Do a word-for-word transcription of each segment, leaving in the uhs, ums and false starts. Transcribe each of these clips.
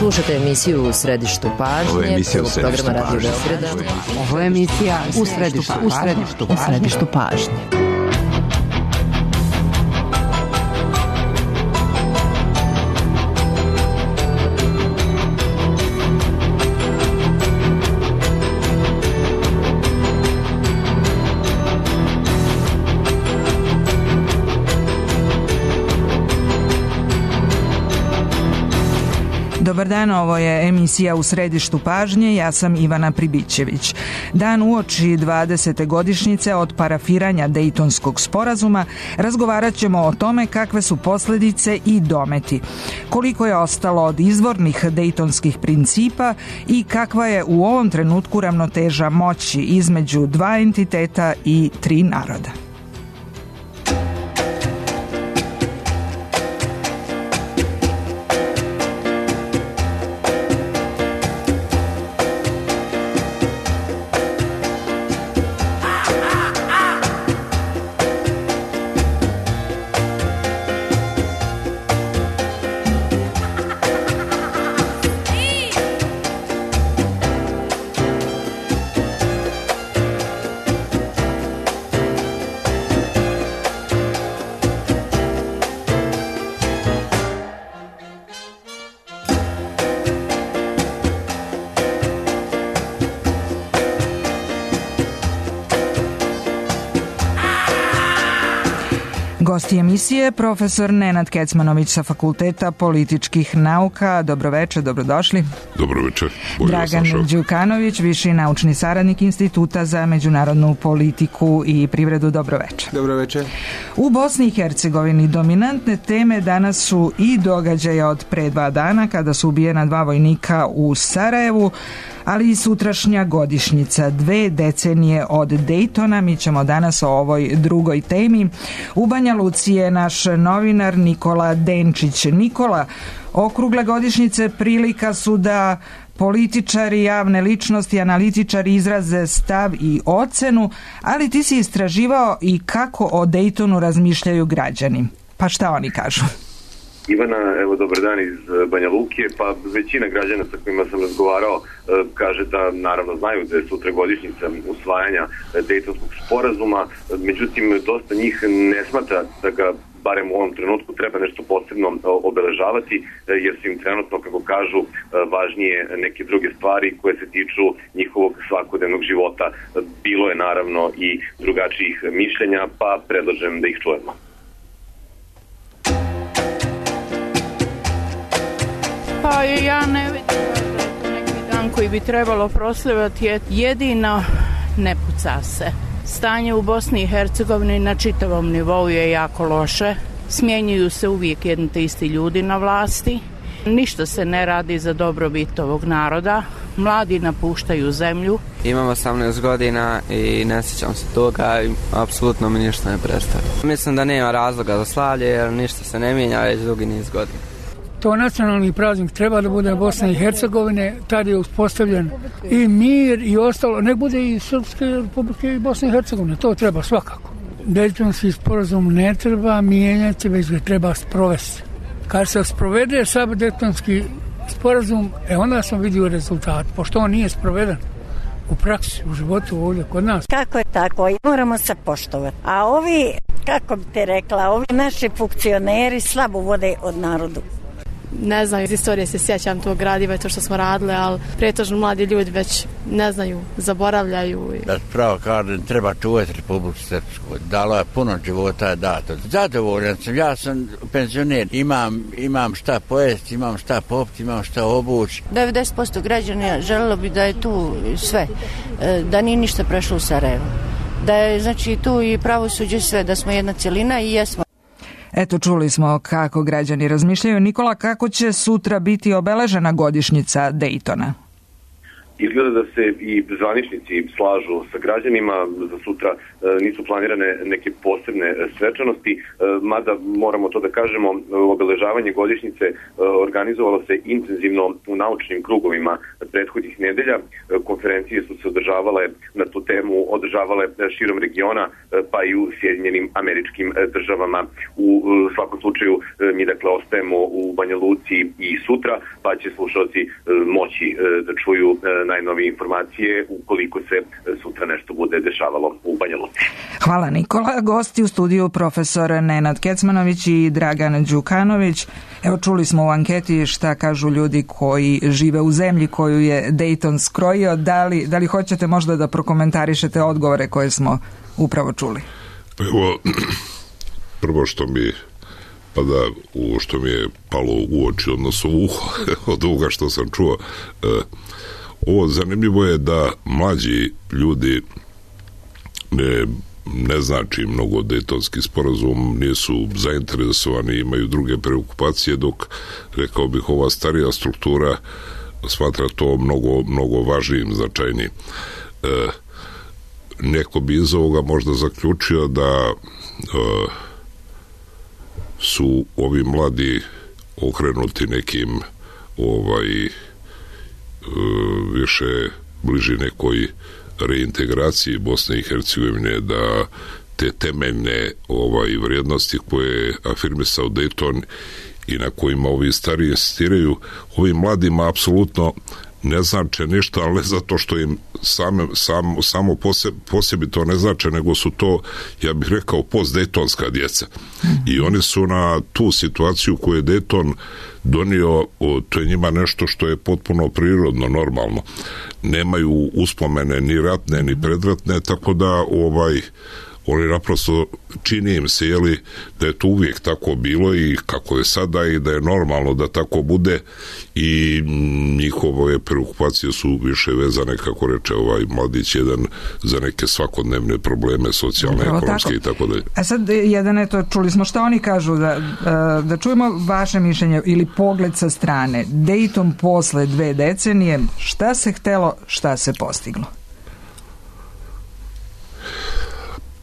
Slušajte emisiju U središtu pažnje. Ovo je emisija U središtu programa Radio pažnje. Beograda. Ovo je emisija U središtu, u središtu, u središtu pažnje. Dobar dan, ovo je emisija U središtu pažnje, ja sam Ivana Pribićević. Dan uoči dvadesete godišnjice od parafiranja Dejtonskog sporazuma razgovarat ćemo o tome kakve su posljedice i dometi, koliko je ostalo od izvornih dejtonskih principa i kakva je u ovom trenutku ravnoteža moći između dva entiteta i tri naroda. Gosti emisije profesor Nenad Kecmanović sa Fakulteta političkih nauka. Dobroveče, dobrodošli. Dobroveče. Dragan Đukanović, viši naučni saradnik Instituta za međunarodnu politiku i privredu. Dobroveče. Dobroveče. U Bosni i Hercegovini dominantne teme danas su i događaje od pre dva dana kada su ubijena dva vojnika u Sarajevu, ali i sutrašnja godišnjica, dve decenije od Dejtona. Mi ćemo danas o ovoj drugoj temi. U Banja Luci je naš novinar Nikola Denčić. Nikola, okrugle godišnjice prilika su da političari, javne ličnosti, analitičari izraze stav i ocenu, ali ti si istraživao i kako o Dejtonu razmišljaju građani. Pa šta oni kažu? Ivana, evo dobar dan iz Banja Luke. Pa većina građana sa kojima sam razgovarao kaže da naravno znaju da je sutra godišnjica usvajanja Dejtonskog sporazuma, međutim dosta njih ne smatra da ga barem u ovom trenutku treba nešto posebno obeležavati, jer su im trenutno, kako kažu, važnije neke druge stvari koje se tiču njihovog svakodnevnog života. Bilo je naravno i drugačijih mišljenja, pa predlažem da ih čujemo. Pa ja ne vidim da je to neki dan koji bi trebalo proslavljati, je jedino ne puca se. Stanje u Bosni i Hercegovini na čitavom nivou je jako loše. Smjenjuju se uvijek jedni te isti ljudi na vlasti. Ništa se ne radi za dobrobit ovog naroda. Mladi napuštaju zemlju. Imam osamnaest godina i ne sjećam se toga i apsolutno mi ništa ne predstavlja. Mislim da nema razloga za slavlje jer ništa se ne mijenja već dugi niz godina. To nacionalni praznik treba da bude Bosne i Hercegovine, tad je uspostavljen i mir i ostalo, nek bude i Srpske republike i Bosne i Hercegovine, to treba svakako. Dejtonski sporazum ne treba mijenjati, već ga treba sprovesti. Kad se sprovede sad Dejtonski sporazum, e onda sam vidio rezultat, pošto on nije sproveden u praksi, u životu ovdje kod nas. Kako je tako, moramo se poštovati. A ovi, kako bi te rekla, ovi naši funkcioneri slabo vode od narodu. Ne znam, iz istorije se sjećam tog gradiva i to što smo radili, ali pretežno mladi ljudi već ne znaju, zaboravljaju. Da pravo kažem, treba čuvati Republiku Srpsku. Dalo je puno života je dato. Zadovoljan sam, ja sam penzioner, imam, imam šta pojesti, imam šta popiti, imam šta obući. devedeset posto građana želelo bi da je tu sve, da nije ništa prešlo u Sarajevo. Da je znači tu i pravosuđe sve, da smo jedna cjelina i jesmo. Eto, čuli smo kako građani razmišljaju. Nikola, kako će sutra biti obeležena godišnjica Dejtona? Izgleda da se i zvaničnici slažu sa građanima, za sutra nisu planirane neke posebne svečanosti, mada moramo to da kažemo, obeležavanje godišnjice organizovalo se intenzivno u naučnim krugovima prethodnih nedelja. Konferencije su se održavale na tu temu, održavale širom regiona, pa i u Sjedinjenim Američkim Državama. U svakom slučaju mi dakle ostajemo u Banja Luci i sutra, pa će slušalci moći da čuju najnovije informacije ukoliko se sutra nešto bude dešavalo u Banja Luci. Hvala Nikola. Gosti u studiju profesor Nenad Kecmanović i Dragan Đukanović. Evo, čuli smo u anketi šta kažu ljudi koji žive u zemlji koju je Dayton skrojio. Da li, da li hoćete možda da prokomentarišete odgovore koje smo upravo čuli? Evo, prvo što mi pa da, u što mi je palo u oči, odnosno u uho od ovoga što sam čuo, e, ovo zanimljivo je da mlađi ljudi ne, ne znači mnogo Dejtonski sporazum, nisu zainteresovani, imaju druge preokupacije, dok, rekao bih, ova starija struktura smatra to mnogo, mnogo važnijim, značajnijim. E, neko bi iz ovoga možda zaključio da e, su ovi mladi okrenuti nekim ovaj više bliži nekoj reintegraciji Bosne i Hercegovine, da te temeljne ovaj vrijednosti koje je afirmisao Dayton i na kojima ovi stariji insistiraju, ovim mladima apsolutno ne znače ništa, ali ne zato što im same, sam, samo poseb, posebi to ne znače, nego su to, ja bih rekao, post-dejtonska djeca. I oni su na tu situaciju koju je Dayton donio, to je njima nešto što je potpuno prirodno, normalno. Nemaju uspomene ni ratne, ni predratne, tako da ovaj oni naprosto, čini im se, jeli, da je to uvijek tako bilo i kako je sada i da je normalno da tako bude, i njihove preokupacije su više vezane, kako reče ovaj mladić jedan, za neke svakodnevne probleme, socijalne, upravo ekonomske tako. I tako dalje. A sad, jedan, eto, čuli smo šta oni kažu, da, da čujemo vaše mišljenje ili pogled sa strane. Dayton posle dve decenije, šta se htelo, šta se postiglo?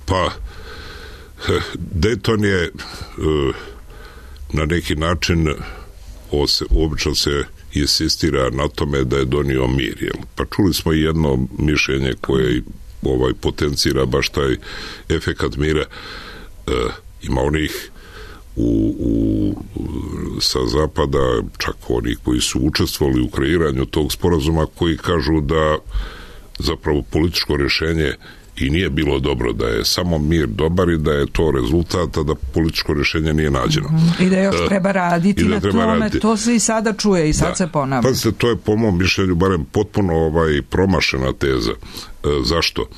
Pa, Dayton je na neki način, obično se insistira na tome da je donio mir, jel? Pa čuli smo i jedno mišljenje koje ovaj potencira baš taj efekat mira. E, ima onih u, u, sa zapada, čak onih koji su učestvovali u kreiranju tog sporazuma, koji kažu da zapravo političko rješenje i nije bilo dobro, da je samo mir dobar i da je to rezultat, a da političko rješenje nije nađeno. I da još treba raditi da na treba tome, raditi. To se i sada čuje i sad da. Se ponavlja. Pazite, to je po mom mišljenju barem potpuno ovaj promašena teza. E, zašto?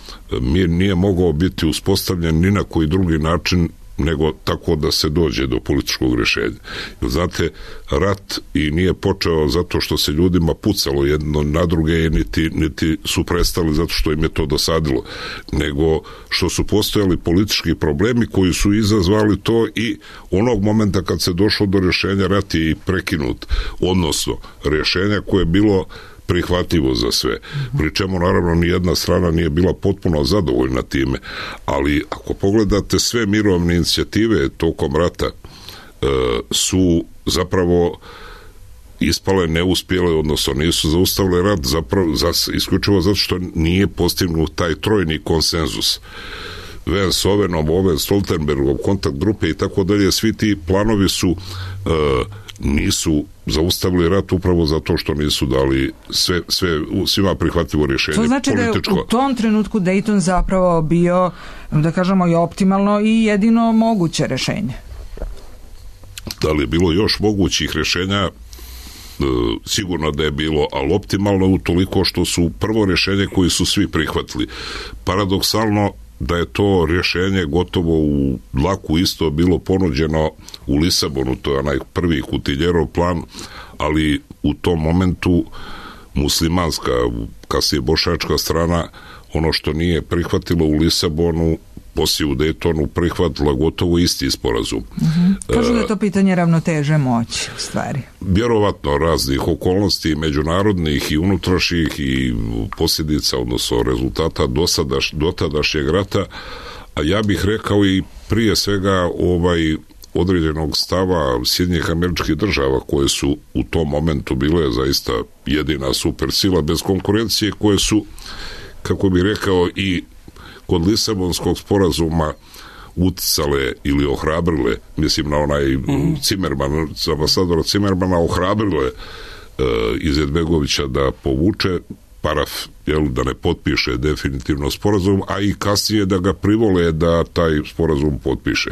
Mir nije mogao biti uspostavljen ni na koji drugi način nego tako da se dođe do političkog rješenja. Znate, rat i nije počeo zato što se ljudima pucalo jedno na druge, niti, niti su prestali zato što im je to dosadilo, nego što su postojali politički problemi koji su izazvali to, i onog momenta kad se došlo do rješenja, rat je prekinut, odnosno rješenja koje je bilo prihvatljivo za sve. Pri čemu naravno ni jedna strana nije bila potpuno zadovoljna time, ali ako pogledate sve mirovne inicijative tokom rata, e, su zapravo ispale neuspjele, odnosno nisu zaustavile rat, zapravo za, isključivo zato što nije postignut taj trojni konsenzus. Vance Ovenov, Oven Stoltenbergov, kontakt grupe i tako dalje, svi ti planovi su e, nisu zaustavili rat upravo zato što nisu dali sve, sve svima prihvatljivo rješenje. To znači političko. Da je u tom trenutku Dayton zapravo bio, da kažemo, i optimalno i jedino moguće rješenje. Da li je bilo još mogućih rješenja? E, sigurno da je bilo, ali optimalno utoliko što su prvo rješenje koji su svi prihvatili. Paradoksalno da je to rješenje gotovo u dlaku isto bilo ponuđeno u Lisabonu, to je onaj prvi Kutiljerov plan, ali u tom momentu muslimanska, kasnije bošnjačka strana, ono što nije prihvatilo u Lisabonu, poslije u Daytonu prihvatila gotovo isti sporazum. Mm-hmm. Kažu da je to pitanje ravnoteže moći, u stvari. Vjerovatno raznih okolnosti, međunarodnih i unutrašnjih i posljedica, odnosno rezultata dosadaš, dotadašnjeg rata, a ja bih rekao i prije svega ovaj određenog stava Sjedinjenih Američkih Država, koje su u tom momentu bile zaista jedina supersila bez konkurencije, koje su, kako bih rekao, i kod Lisabonskog sporazuma uticale ili ohrabrile, mislim na onaj mm. Cimerman, ambasadora Cimermana, ohrabrile e, Izetbegovića da povuče paraf, jel, da ne potpiše definitivno sporazum, a i kasnije da ga privole da taj sporazum potpiše.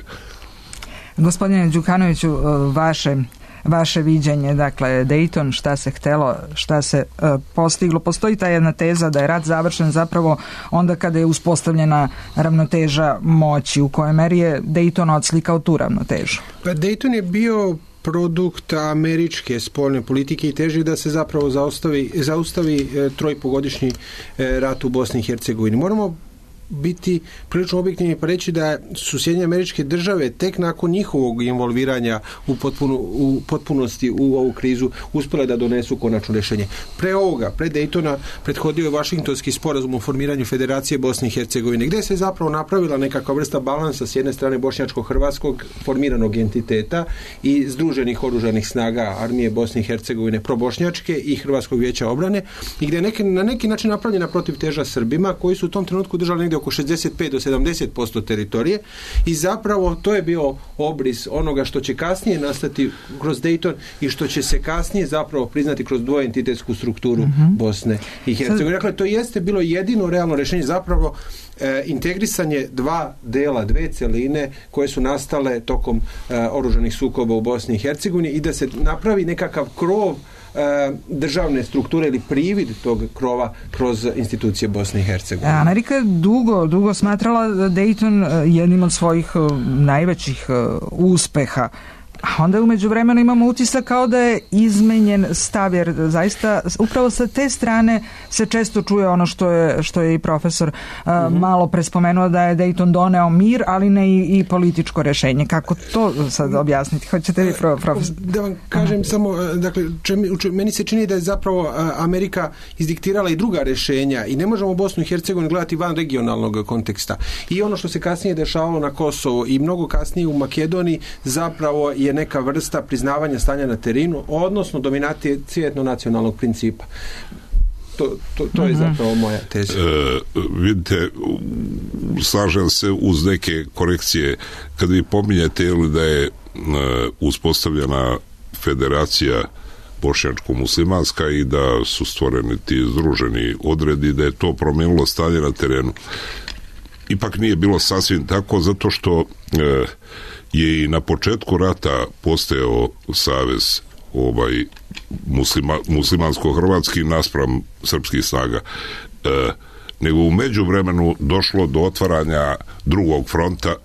Gospodine Đukanoviću, vaše vaše viđenje, dakle Dayton, šta se htelo, šta se uh, postiglo. Postoji ta jedna teza da je rat završen zapravo onda kada je uspostavljena ravnoteža moći, u kojoj meri je Dayton odslikao tu ravnotežu. Pa Dayton je bio produkt američke spoljne politike i teži da se zapravo zaustavi, zaustavi e, trojpogodišnji e, rat u Bosni i Hercegovini. Moramo biti prilično objektivni pa reći da su Sjedinjene Američke Države tek nakon njihovog involviranja u, potpuno, u potpunosti u ovu krizu uspjele da donesu konačno rješenje. Pre ovoga, pre Daytona, prethodio je Vašingtonski sporazum o formiranju Federacije Bosne i Hercegovine, gdje se zapravo napravila nekakva vrsta balansa s jedne strane bošnjačko-hrvatskog formiranog entiteta i združenih oružanih snaga armije Bosne i Hercegovine probošnjačke i Hrvatskog vijeća obrane, i gdje je neki, na neki način napravljena protivteža Srbima, koji su u tom trenutku držali negdje oko šezdeset pet do sedamdeset posto teritorije, i zapravo to je bio obris onoga što će kasnije nastati kroz Dayton i što će se kasnije zapravo priznati kroz dvoentitetsku strukturu mm-hmm. Bosne i Hercegovine. Dakle, to jeste bilo jedino realno rješenje, zapravo e, integrisanje dva dela, dve celine koje su nastale tokom e, oružanih sukoba u Bosni i Hercegovini, i da se napravi nekakav krov državne strukture ili privid tog krova kroz institucije Bosne i Hercegovine. Amerika je dugo, dugo smatrala Dayton jednim od svojih najvećih uspeha. A onda u međuvremenu imamo utisak kao da je izmenjen stav, jer zaista upravo sa te strane se često čuje ono što je, što je i profesor uh, mm-hmm. malo prespomenuo, da je Dayton doneo mir, ali ne i, i političko rješenje. Kako to sad objasniti? Hoćete vi, pro, profesor? Da vam kažem uh-huh. samo, dakle, čem, meni se čini da je zapravo Amerika izdiktirala i druga rješenja i ne možemo Bosnu i Hercegovinu gledati van regionalnog konteksta. I ono što se kasnije dešavalo na Kosovu i mnogo kasnije u Makedoniji zapravo je neka vrsta priznavanja stanja na terenu, odnosno dominacije etno-nacionalnog principa. To, to, to je zapravo moja teza. E, vidite, slažem se uz neke korekcije. Kad vi pominjete ili da je e, uspostavljena federacija bošnjačko-muslimanska i da su stvoreni ti združeni odredi, da je to promijenilo stanje na terenu. Ipak nije bilo sasvim tako, zato što e, je i na početku rata postojao savez ovaj muslima, muslimansko-hrvatski naspram srpskih snaga. E, nego u međuvremenu došlo do otvaranja drugog fronta e,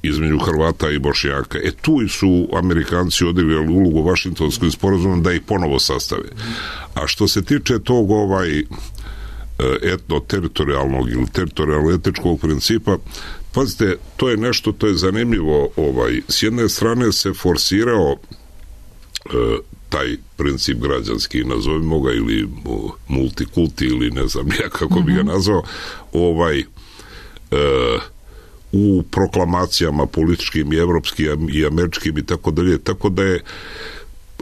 između Hrvata i Bošnjaka. E tu su Amerikanci odigrali ulogu Vašingtonskim sporazumom da ih ponovo sastave. A što se tiče tog ovaj etno-teritorijalnog ili teritorijalno-etičkog principa, pazite, to je nešto, to je zanimljivo, ovaj, s jedne strane se forsirao e, taj princip građanski, nazovimo ga, ili multikulti, ili ne znam ja kako mm-hmm. bi ga nazvao, ovaj, e, u proklamacijama političkim i evropskim i američkim i tako dalje, tako da je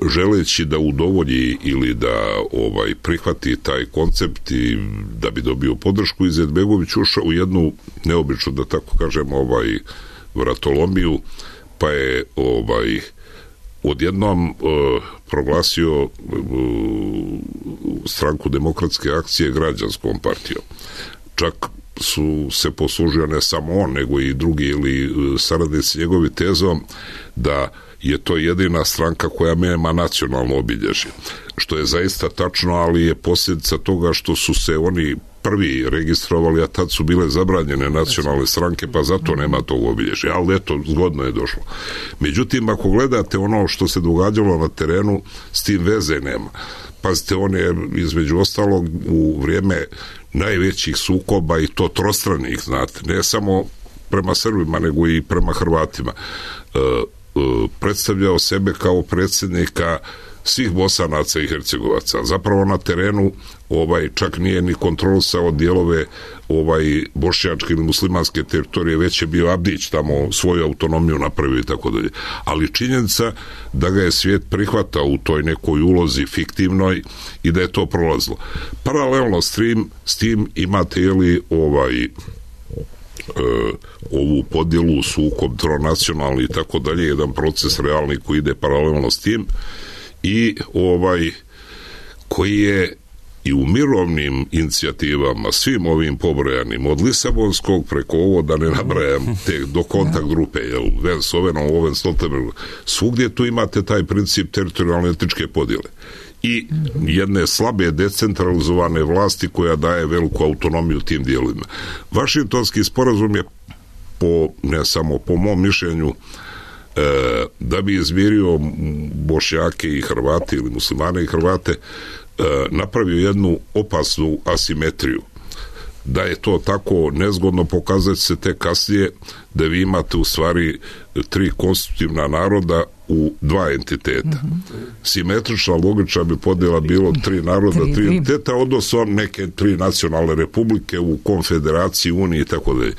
želeći da udovolji ili da ovaj prihvati taj koncept i da bi dobio podršku, Izetbegović ušao u jednu neobičnu, da tako kažem, ovaj vratolomiju, pa je ovaj odjednom uh, proglasio uh, stranku Demokratske akcije građanskom partijom. Čak su se poslužio ne samo on, nego i drugi ili uh, saradnici njegovi tezom da je to jedina stranka koja nema nacionalno obilježje. Što je zaista tačno, ali je posljedica toga što su se oni prvi registrovali, a tad su bile zabranjene nacionalne stranke, pa zato nema tog obilježja. Ali eto, zgodno je došlo. Međutim, ako gledate ono što se događalo na terenu, s tim veze nema. Pazite, on je između ostalog u vrijeme najvećih sukoba, i to trostranih, znate, ne samo prema Srbima, nego i prema Hrvatima. E, e, predstavljao sebe kao predsjednika svih Bosanaca i Hercegovaca. Zapravo na terenu ovaj čak nije ni kontrolisao dijelove ovaj bošnjačke ili muslimanske teritorije, već je bio Abdić tamo svoju autonomiju napravio i tako dalje. Ali činjenica da ga je svijet prihvatao u toj nekoj ulozi fiktivnoj i da je to prolazilo. Paralelno s tim, s tim imate jeli ovaj e, ovu podjelu, sukob tronacionalni i tako dalje, jedan proces realni koji ide paralelno s tim i ovaj koji je i u mirovnim inicijativama, svim ovim pobrojanim, od Lisabonskog preko ovo, da ne nabrajam, te do kontakt grupe, jel, Ven Sovenom, Oven Stoltenberg, svugdje tu imate taj princip teritorijalne etničke podjele i jedne slabe decentralizovane vlasti koja daje veliku autonomiju tim dijelovima. Vašingtonski sporazum je po, ne samo po mom mišljenju, e, da bi izmirio Bošnjake i Hrvate ili muslimane i Hrvate, napravio jednu opasnu asimetriju. Da je to tako nezgodno pokazati se te kasnije da vi imate u stvari tri konstitutivna naroda u dva entiteta. Mm-hmm. Simetrična, logična bi podjela bilo tri naroda, tri, tri entiteta, odnosno neke tri nacionalne republike u konfederaciji, uniji i tako dalje.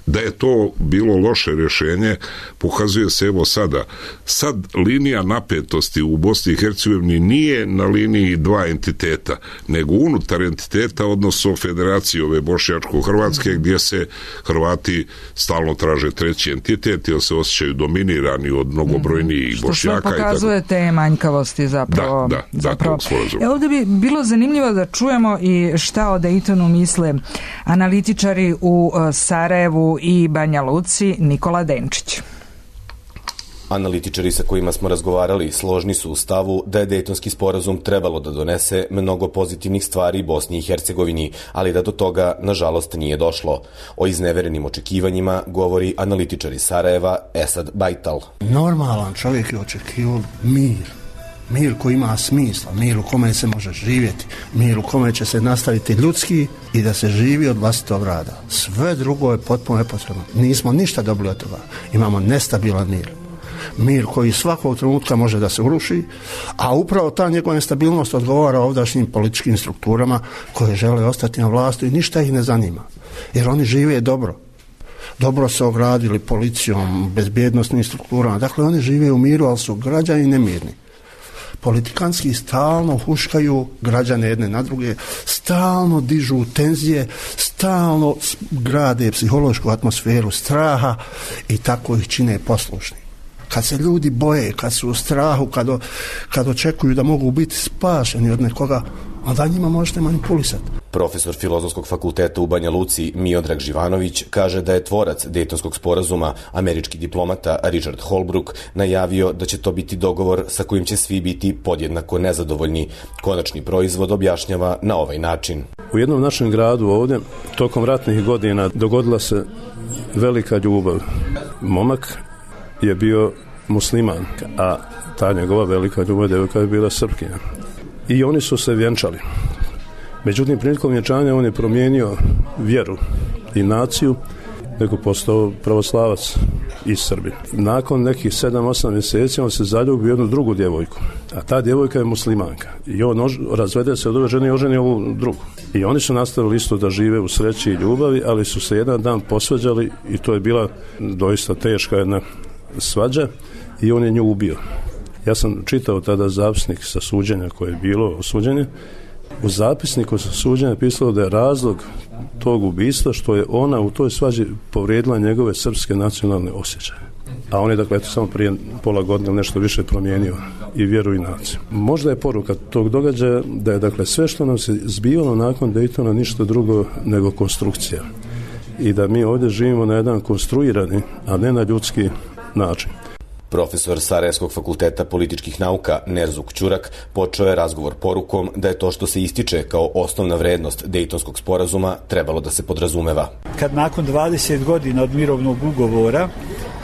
Da je to bilo loše rješenje, pokazuje se evo sada. Sad linija napetosti u Bosni i Hercegovini nije na liniji dva entiteta, nego unutar entiteta, odnosno federacije ove bošnjačko-hrvatske, mm-hmm. gdje se Hrvati stalno traže treći entitet, jer se osjećaju dominirani od mnogobrojnijih što sve pokazuje te manjkavosti zapravo. Da, da, zapravo. E, ovdje bi bilo zanimljivo da čujemo i šta o Daytonu misle analitičari u Sarajevu i Banja Luci. Nikola Denčić. Analitičari sa kojima smo razgovarali složni su u stavu da je Dejtonski sporazum trebalo da donese mnogo pozitivnih stvari Bosni i Hercegovini, ali da do toga, nažalost, nije došlo. O izneverenim očekivanjima govori analitičar iz Sarajeva Esad Bajtal. Normalan čovjek je očekivao mir. Mir koji ima smisla, mir u kome se može živjeti, mir u kome će se nastaviti ljudski i da se živi od vlastitog rada. Sve drugo je potpuno nepotrebno. Nismo ništa dobili od toga. Imamo nestabilan mir. Mir koji svakog trenutka može da se uruši, a upravo ta njegova nestabilnost odgovara ovdašnjim političkim strukturama koje žele ostati na vlasti i ništa ih ne zanima. Jer oni žive dobro. Dobro se ogradili policijom, bezbjednostnim strukturama. Dakle, oni žive u miru, ali su građani nemirni. Politikanski stalno huškaju građane jedne na druge, stalno dižu tenzije, stalno grade psihološku atmosferu straha i tako ih čine poslušni. Kad se ljudi boje, kad su u strahu, kad, o, kad očekuju da mogu biti spašeni od nekoga, onda njima možete manipulisati. Profesor Filozofskog fakulteta u Banja Luci Miodrag Živanović kaže da je tvorac Dejtonskog sporazuma, američki diplomata Richard Holbrooke, najavio da će to biti dogovor sa kojim će svi biti podjednako nezadovoljni. Konačni proizvod objašnjava na ovaj način. U jednom našem gradu ovdje, tokom ratnih godina, dogodila se velika ljubav. Momak je bio musliman, a ta njegova velika ljubav devojka je bila Srpkinja. I oni su se vjenčali. Međutim, prilikom vjenčanja on je promijenio vjeru i naciju, nego postao pravoslavac iz Srbije. Nakon nekih sedam osam mjeseci on se zaljubio jednu drugu djevojku, a ta djevojka je muslimanka. I on ož, razvede se od ove žene i oženi ovu drugu. I oni su nastavili isto da žive u sreći i ljubavi, ali su se jedan dan posvađali i to je bila doista teška jedna svađa i on je nju ubio. Ja sam čitao tada zapisnik sa suđenja koje je bilo suđenje. U zapisniku sa suđenja pisalo da je razlog tog ubistva što je ona u toj svađi povrijedila njegove srpske nacionalne osjećaje. A on je dakle eto, samo prije pola godine nešto više promijenio i vjeru i naciju. Možda je poruka tog događaja da je dakle sve što nam se zbivalo nakon Daytona ništa drugo nego konstrukcija. I da mi ovdje živimo na jedan konstruirani, a ne na ljudski način. Profesor Sarajevskog fakulteta političkih nauka Nerzuk Ćurak počeo je razgovor porukom da je to što se ističe kao osnovna vrednost Dejtonskog sporazuma trebalo da se podrazumeva. Kad nakon dvadeset godina od mirovnog ugovora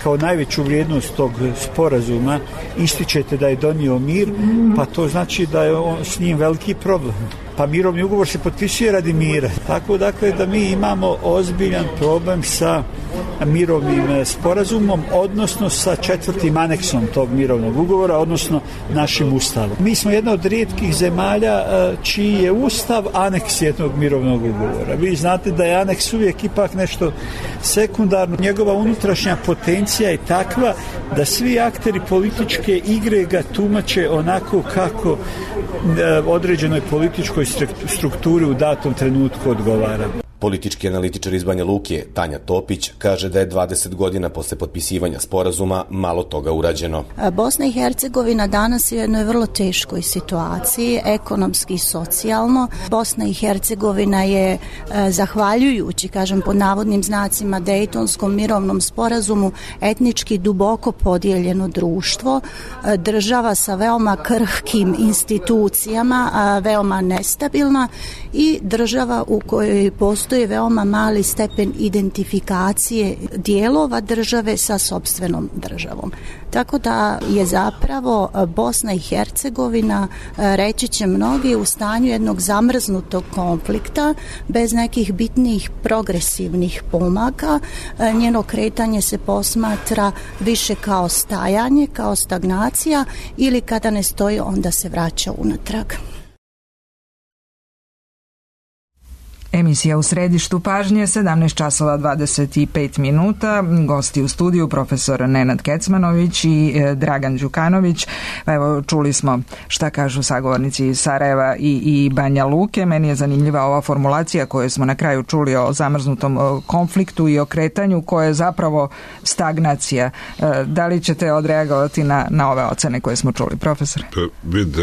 kao najveću vrijednost tog sporazuma ističete da je donio mir, pa to znači da je on, s njim veliki problem. Pa mirovni ugovor se potpisuje radi mira. Tako dakle da mi imamo ozbiljan problem sa mirovnim sporazumom, odnosno sa četvrtim aneksom tog mirovnog ugovora, odnosno našim ustavom. Mi smo jedna od rijetkih zemalja čiji je ustav aneks jednog mirovnog ugovora. Vi znate da je aneks uvijek ipak nešto sekundarno. Njegova unutrašnja potencija je takva da svi akteri političke igre ga tumače onako kako određenoj političkoj strukturi u datom trenutku odgovara. Politički analitičar iz Banja Luke, Tanja Topić, kaže da je dvadeset godina posle potpisivanja sporazuma malo toga urađeno. Bosna i Hercegovina danas je u jednoj vrlo teškoj situaciji, ekonomski i socijalno. Bosna i Hercegovina je, zahvaljujući, kažem pod navodnim znacima, Dejtonskom mirovnom sporazumu, etnički duboko podijeljeno društvo, država sa veoma krhkim institucijama, veoma nestabilna i država u kojoj postoji je veoma mali stepen identifikacije dijelova države sa sopstvenom državom. Tako da je zapravo Bosna i Hercegovina, reći će mnogi, u stanju jednog zamrznutog konflikta bez nekih bitnijih progresivnih pomaka. Njeno kretanje se posmatra više kao stajanje, kao stagnacija ili kada ne stoji onda se vraća unatrag. Emisija u središtu pažnje, sedamnaest časova dvadeset pet minuta. Gosti u studiju profesor Nenad Kecmanović i Dragan Đukanović. Evo, čuli smo šta kažu sagovornici iz Sarajeva i, i Banja Luke. Meni je zanimljiva ova formulacija koju smo na kraju čuli o zamrznutom konfliktu i o kretanju koje je zapravo stagnacija. Da li ćete odreagovati na, na ove ocene koje smo čuli, profesor? Pa, vidite,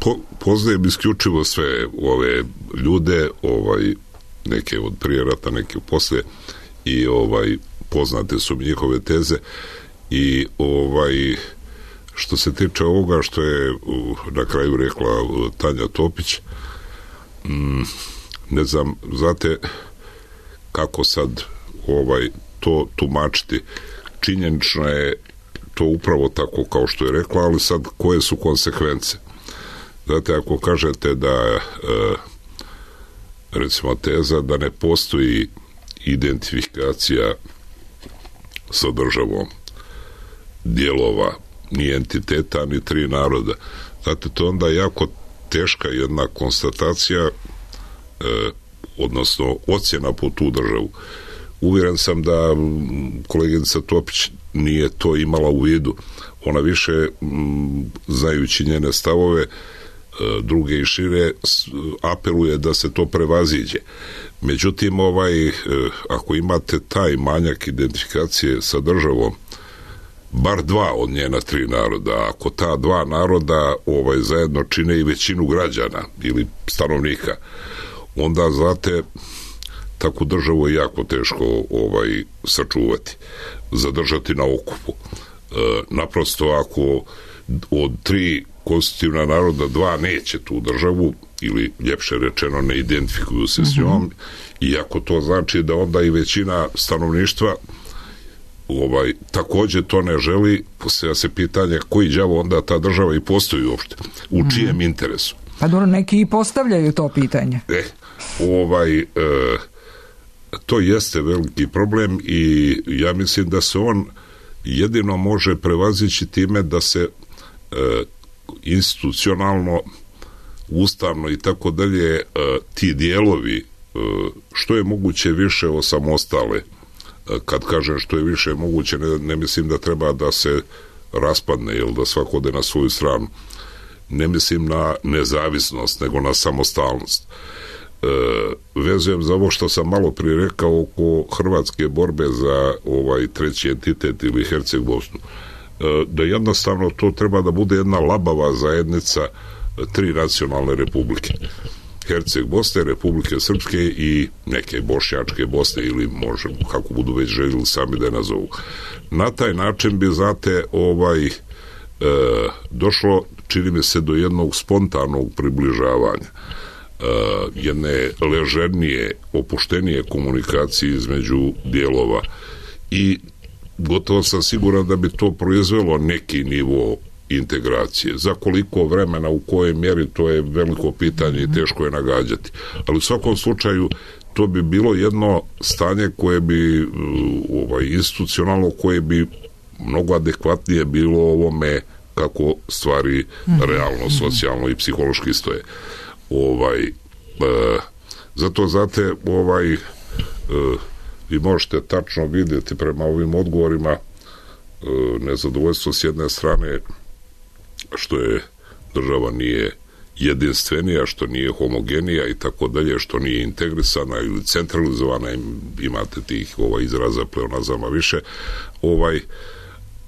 Po, poznajem isključivo sve ove ljude, ovaj, neke od prije rata, neke poslije, i ovaj, poznate su mi njihove teze i ovaj, što se tiče ovoga što je na kraju rekla Tanja Topić, mm, ne znam, znate kako sad ovaj, to tumačiti. Činjenično je to upravo tako kao što je rekla, ali sad koje su konsekvence? Znate, ako kažete da recimo teza da ne postoji identifikacija sa državom dijelova ni entiteta ni tri naroda, znate, to onda jako teška jedna konstatacija, odnosno ocjena po tu državu. Uvjeren sam da koleginica Topić nije to imala u vidu. Ona više, znajući njene stavove, druge i šire, apeluje da se to prevaziđe. Međutim, ovaj, ako imate taj manjak identifikacije sa državom, bar dva od njena tri naroda, ako ta dva naroda ovaj, zajedno čine i većinu građana ili stanovnika, onda, znate, takvu državu je jako teško ovaj, sačuvati, zadržati na okupu. E, naprosto, ako od tri konstitutivna naroda dva neće tu državu, ili ljepše rečeno ne identifikuju se s njom, mm-hmm. iako to znači da onda i većina stanovništva ovaj, također to ne želi, postavlja se pitanje koji đavo onda ta država i postoji uopšte, u mm-hmm. čijem interesu. Pa dobro, neki i postavljaju to pitanje. E, ovaj, e, to jeste veliki problem i ja mislim da se on jedino može prevazići time da se e, institucionalno, ustavno i tako dalje, ti dijelovi što je moguće više osamostale. Kad kažem što je više moguće, ne, ne mislim da treba da se raspadne ili da svako ode na svoju stranu. Ne mislim na nezavisnost, nego na samostalnost. E, vezujem za ovo što sam malo prije rekao oko hrvatske borbe za ovaj treći entitet ili Herceg Bosnu. Da jednostavno to treba da bude jedna labava zajednica tri nacionalne republike. Herceg Bosne, Republike Srpske i neke bošnjačke Bosne, ili može, kako budu već željeli sami da je nazovu. Na taj način bi, znate, ovaj, e, došlo, čini mi se, do jednog spontanog približavanja, e, jedne ležernije, opuštenije komunikacije između dijelova i gotovo sam siguran da bi to proizvelo neki nivo integracije. Za koliko vremena, u kojoj mjeri, to je veliko pitanje i teško je nagađati. Ali u svakom slučaju to to bi bilo jedno stanje koje bi ovaj, institucionalno, koje bi mnogo adekvatnije bilo ovome kako stvari realno, socijalno i psihološki stoje. Ovaj, e, zato znate, ovaj, e, vi možete tačno vidjeti prema ovim odgovorima e, nezadovoljstvo s jedne strane što je država nije jedinstvenija, što nije homogenija i tako dalje, što nije integrisana ili centralizovana, imate tih ovaj, izraza pleonazama više, ovaj,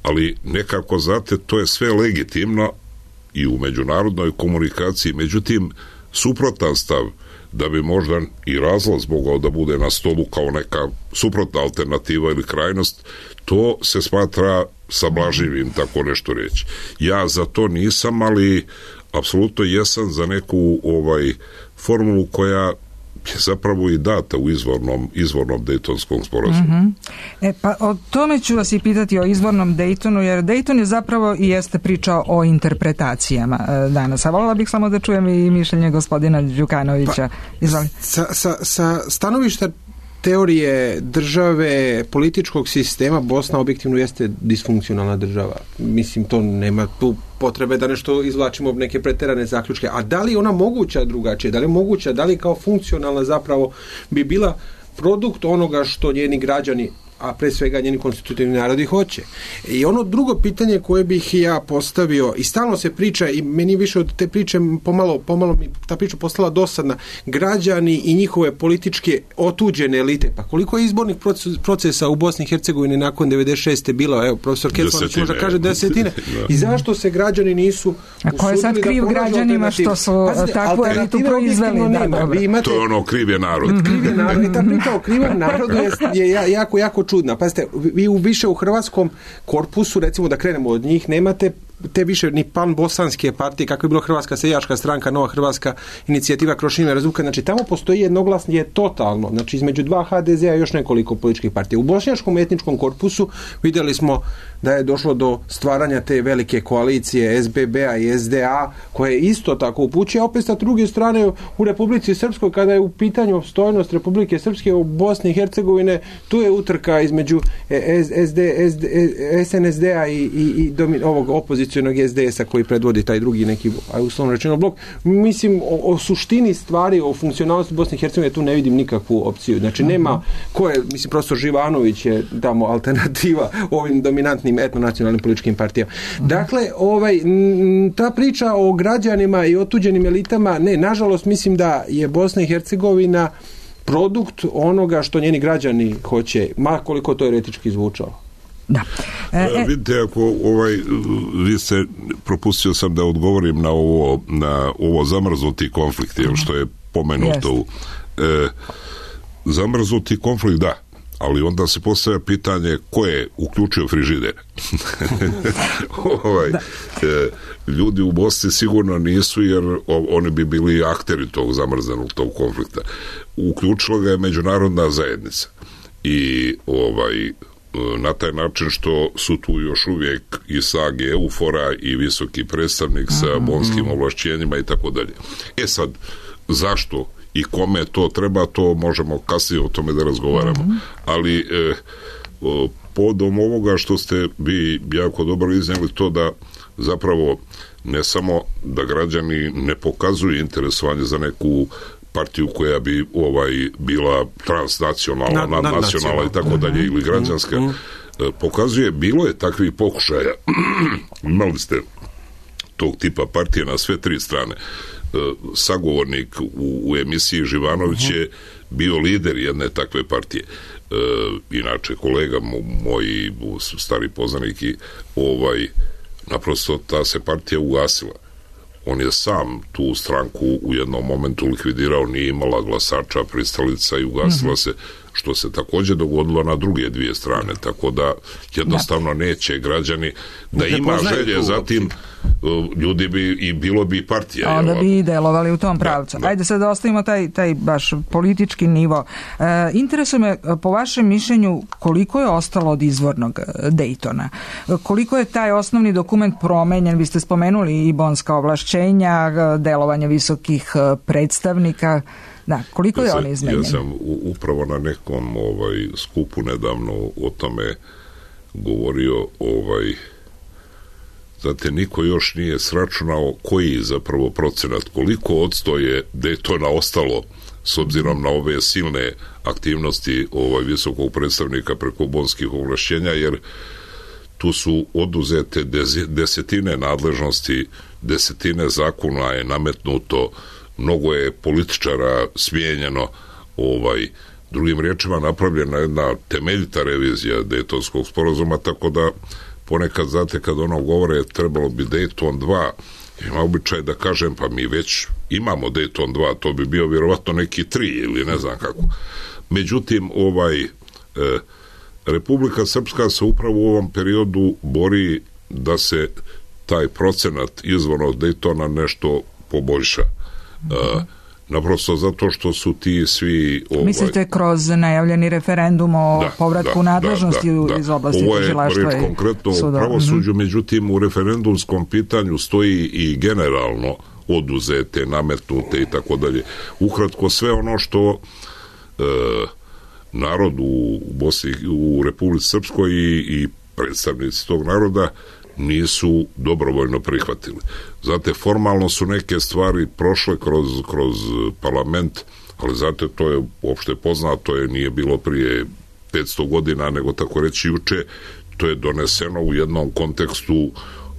ali nekako, znate, to je sve legitimno i u međunarodnoj komunikaciji, međutim, suprotan stav da bi možda i razlaz mogao da bude na stolu kao neka suprotna alternativa ili krajnost, to se smatra sablaživim, tako nešto reći. Ja za to nisam, ali apsolutno jesam za neku ovaj formulu koja je zapravo i data u izvornom, izvornom Dejtonskom sporazumu. Mm-hmm. E, pa o tome ću vas i pitati, o izvornom Dejtonu, jer Dejton je zapravo i jeste pričao o interpretacijama e, danas. A voljela bih samo da čujem i mišljenje gospodina Đukanovića. Pa, sa, sa, sa stanovišta teorije države, političkog sistema, Bosna objektivno jeste disfunkcionalna država. Mislim, to nema tu potrebe da nešto izvlačimo neke preterane zaključke. A da li ona moguća drugačije? Da li je moguća? Da li kao funkcionalna zapravo bi bila produkt onoga što njeni građani, a pre svega njeni konstitutivni narodi hoće? I ono drugo pitanje koje bih ja postavio, i stalno se priča, i meni više od te priče pomalo, pomalo mi ta priča postala dosadna, građani i njihove političke otuđene elite. Pa koliko je izbornih procesa u Bosni i Hercegovini nakon devedeset šeste bilo? Evo, profesor Kecmanović može kaže desetine. I zašto se građani nisu a ko je sad kriv građanima što su Pazite, takvu elitu proizveli? Da, da, imate, to je ono kriv je narod. Kriv je narod. I ta priča o krivom narodu je, je jako, jako čudna. Pazite, vi u više u hrvatskom korpusu, recimo da krenemo od njih, nemate te više ni pan-bosanske partije, kako je bilo Hrvatska seljačka stranka, Nova Hrvatska inicijativa Krošime Razvuka. Znači, tamo postoji jednoglasnije totalno. Znači, između dva ha de zea i još nekoliko političkih partija. U bošnjačkom etničkom korpusu vidjeli smo da je došlo do stvaranja te velike koalicije es be be a i es de a, koje isto tako upućuje. Opet sa druge strane u Republici Srpskoj, kada je u pitanju opstojnost Republike Srpske u Bosni i Hercegovine, tu je utrka između es en es de a i, i, i domin, ovog opozicionog es de esa koji predvodi taj drugi neki, uslovno rečeno, blok. Mislim, o, o suštini stvari, o funkcionalnosti Bosne i Hercegovine tu ne vidim nikakvu opciju. Znači, nema ko je, mislim, profesor Živanović je tamo alternativa ovim dominantnim etnonacionalnim političkim partijama. Dakle, ovaj, ta priča o građanima i otuđenim elitama, ne, nažalost, mislim da je Bosna i Hercegovina produkt onoga što njeni građani hoće, ma koliko to eretički zvučalo. Da. E, e, vidite, ako ovaj, vi ste, propustio sam da odgovorim na ovo, na ovo zamrznuti konflikt, uh-huh. što je pomenuto. E, zamrznuti konflikt, da, ali onda se postavlja pitanje ko je uključio frižider. ovaj, e, ljudi u Bosni sigurno nisu, jer o, oni bi bili akteri tog zamrznenog tog konflikta. Uključila ga je međunarodna zajednica i ovaj na taj način što su tu još uvijek i Sage Eufora i visoki predstavnik sa bonskim ovlašćenjima i tako dalje. E sad, zašto i kome to treba, to možemo kasnije o tome da razgovaramo. Mm-hmm. Ali e, podom ovoga što ste vi jako dobro iznijeli, to da zapravo ne samo da građani ne pokazuju interesovanje za neku partiju koja bi ovaj bila transnacionalna, nad, nadnacionalna i tako dalje, ili građanska, mm, mm. pokazuje, bilo je takvih pokušaja. Imali ste tog tipa partije na sve tri strane. Sagovornik u, u emisiji Živanović je bio lider jedne takve partije. E, inače, kolega moj, stari poznanik, i ovaj, naprosto ta se partija ugasila. On je sam tu stranku u jednom momentu likvidirao, nije imala glasača, pristalica i ugasila mm-hmm. se, što se također dogodilo na druge dvije strane, tako da jednostavno da. neće građani da ne ima želje, zatim ljudi bi i bilo bi partija. A onda bi i delovali u tom pravcu. Da, da. Ajde sad da ostavimo taj, taj baš politički nivo. E, interesuje me, po vašem mišljenju, koliko je ostalo od izvornog Dejtona? Koliko je taj osnovni dokument promenjen? Vi ste spomenuli i bonska ovlašćenja, delovanje visokih predstavnika. Da, koliko je ja on izmenjen? Ja sam upravo na nekom ovaj, skupu nedavno o tome govorio, ovaj, znate, niko još nije sračunao koji zapravo procenat, koliko odsto je Daytona ostalo s obzirom na ove silne aktivnosti ovaj visokog predstavnika preko bonskih ovlašćenja, jer tu su oduzete desetine nadležnosti, desetine zakona je nametnuto, mnogo je političara smijenjeno, ovaj, drugim riječima napravljena jedna temeljita revizija Daytonskog sporazuma, tako da ponekad, znate, kad ono govore trebalo bi Dayton dva, ima običaj da kažem, pa mi već imamo Dayton dva, to bi bio vjerovatno neki tri ili ne znam kako. Međutim, ovaj e, Republika Srpska se upravo u ovom periodu bori da se taj procenat izvorno od Daytona nešto poboljša. Mm-hmm. E, naprosto zato što su ti svi... Ovaj, mislite kroz najavljeni referendum o da, povratku da, nadležnosti da, da, iz oblasti tužilaštva? Ovo je konkretno u pravosuđu, mm-hmm. međutim u referendumskom pitanju stoji i generalno oduzete, nametnute i tako dalje. Ukratko, sve ono što e, narod u Bosni, u Republici Srpskoj i, i predstavnici tog naroda nisu dobrovoljno prihvatili. Znate, formalno su neke stvari prošle kroz, kroz parlament, ali znate, to je uopšte poznato, je nije bilo prije petsto godina, nego tako reći juče, to je doneseno u jednom kontekstu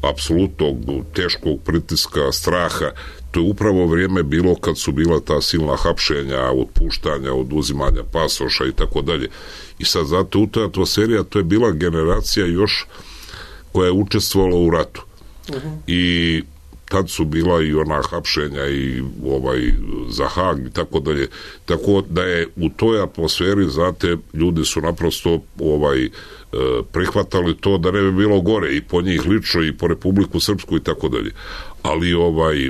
apsolutnog teškog pritiska, straha. To je upravo vrijeme bilo kad su bila ta silna hapšenja, otpuštanja, oduzimanja pasoša i tako dalje. I sad, znate, u toj atmosferi, a to je bila generacija još koja je učestvovala u ratu. Uh-huh. I tad su bila i ona hapšenja i ovaj za Hag i tako dalje. Tako da je u toj atmosferi, znate, ljudi su naprosto ovaj prihvatali to da ne bi bilo gore i po njih lično i po Republiku Srpsku i tako dalje. Ali ovaj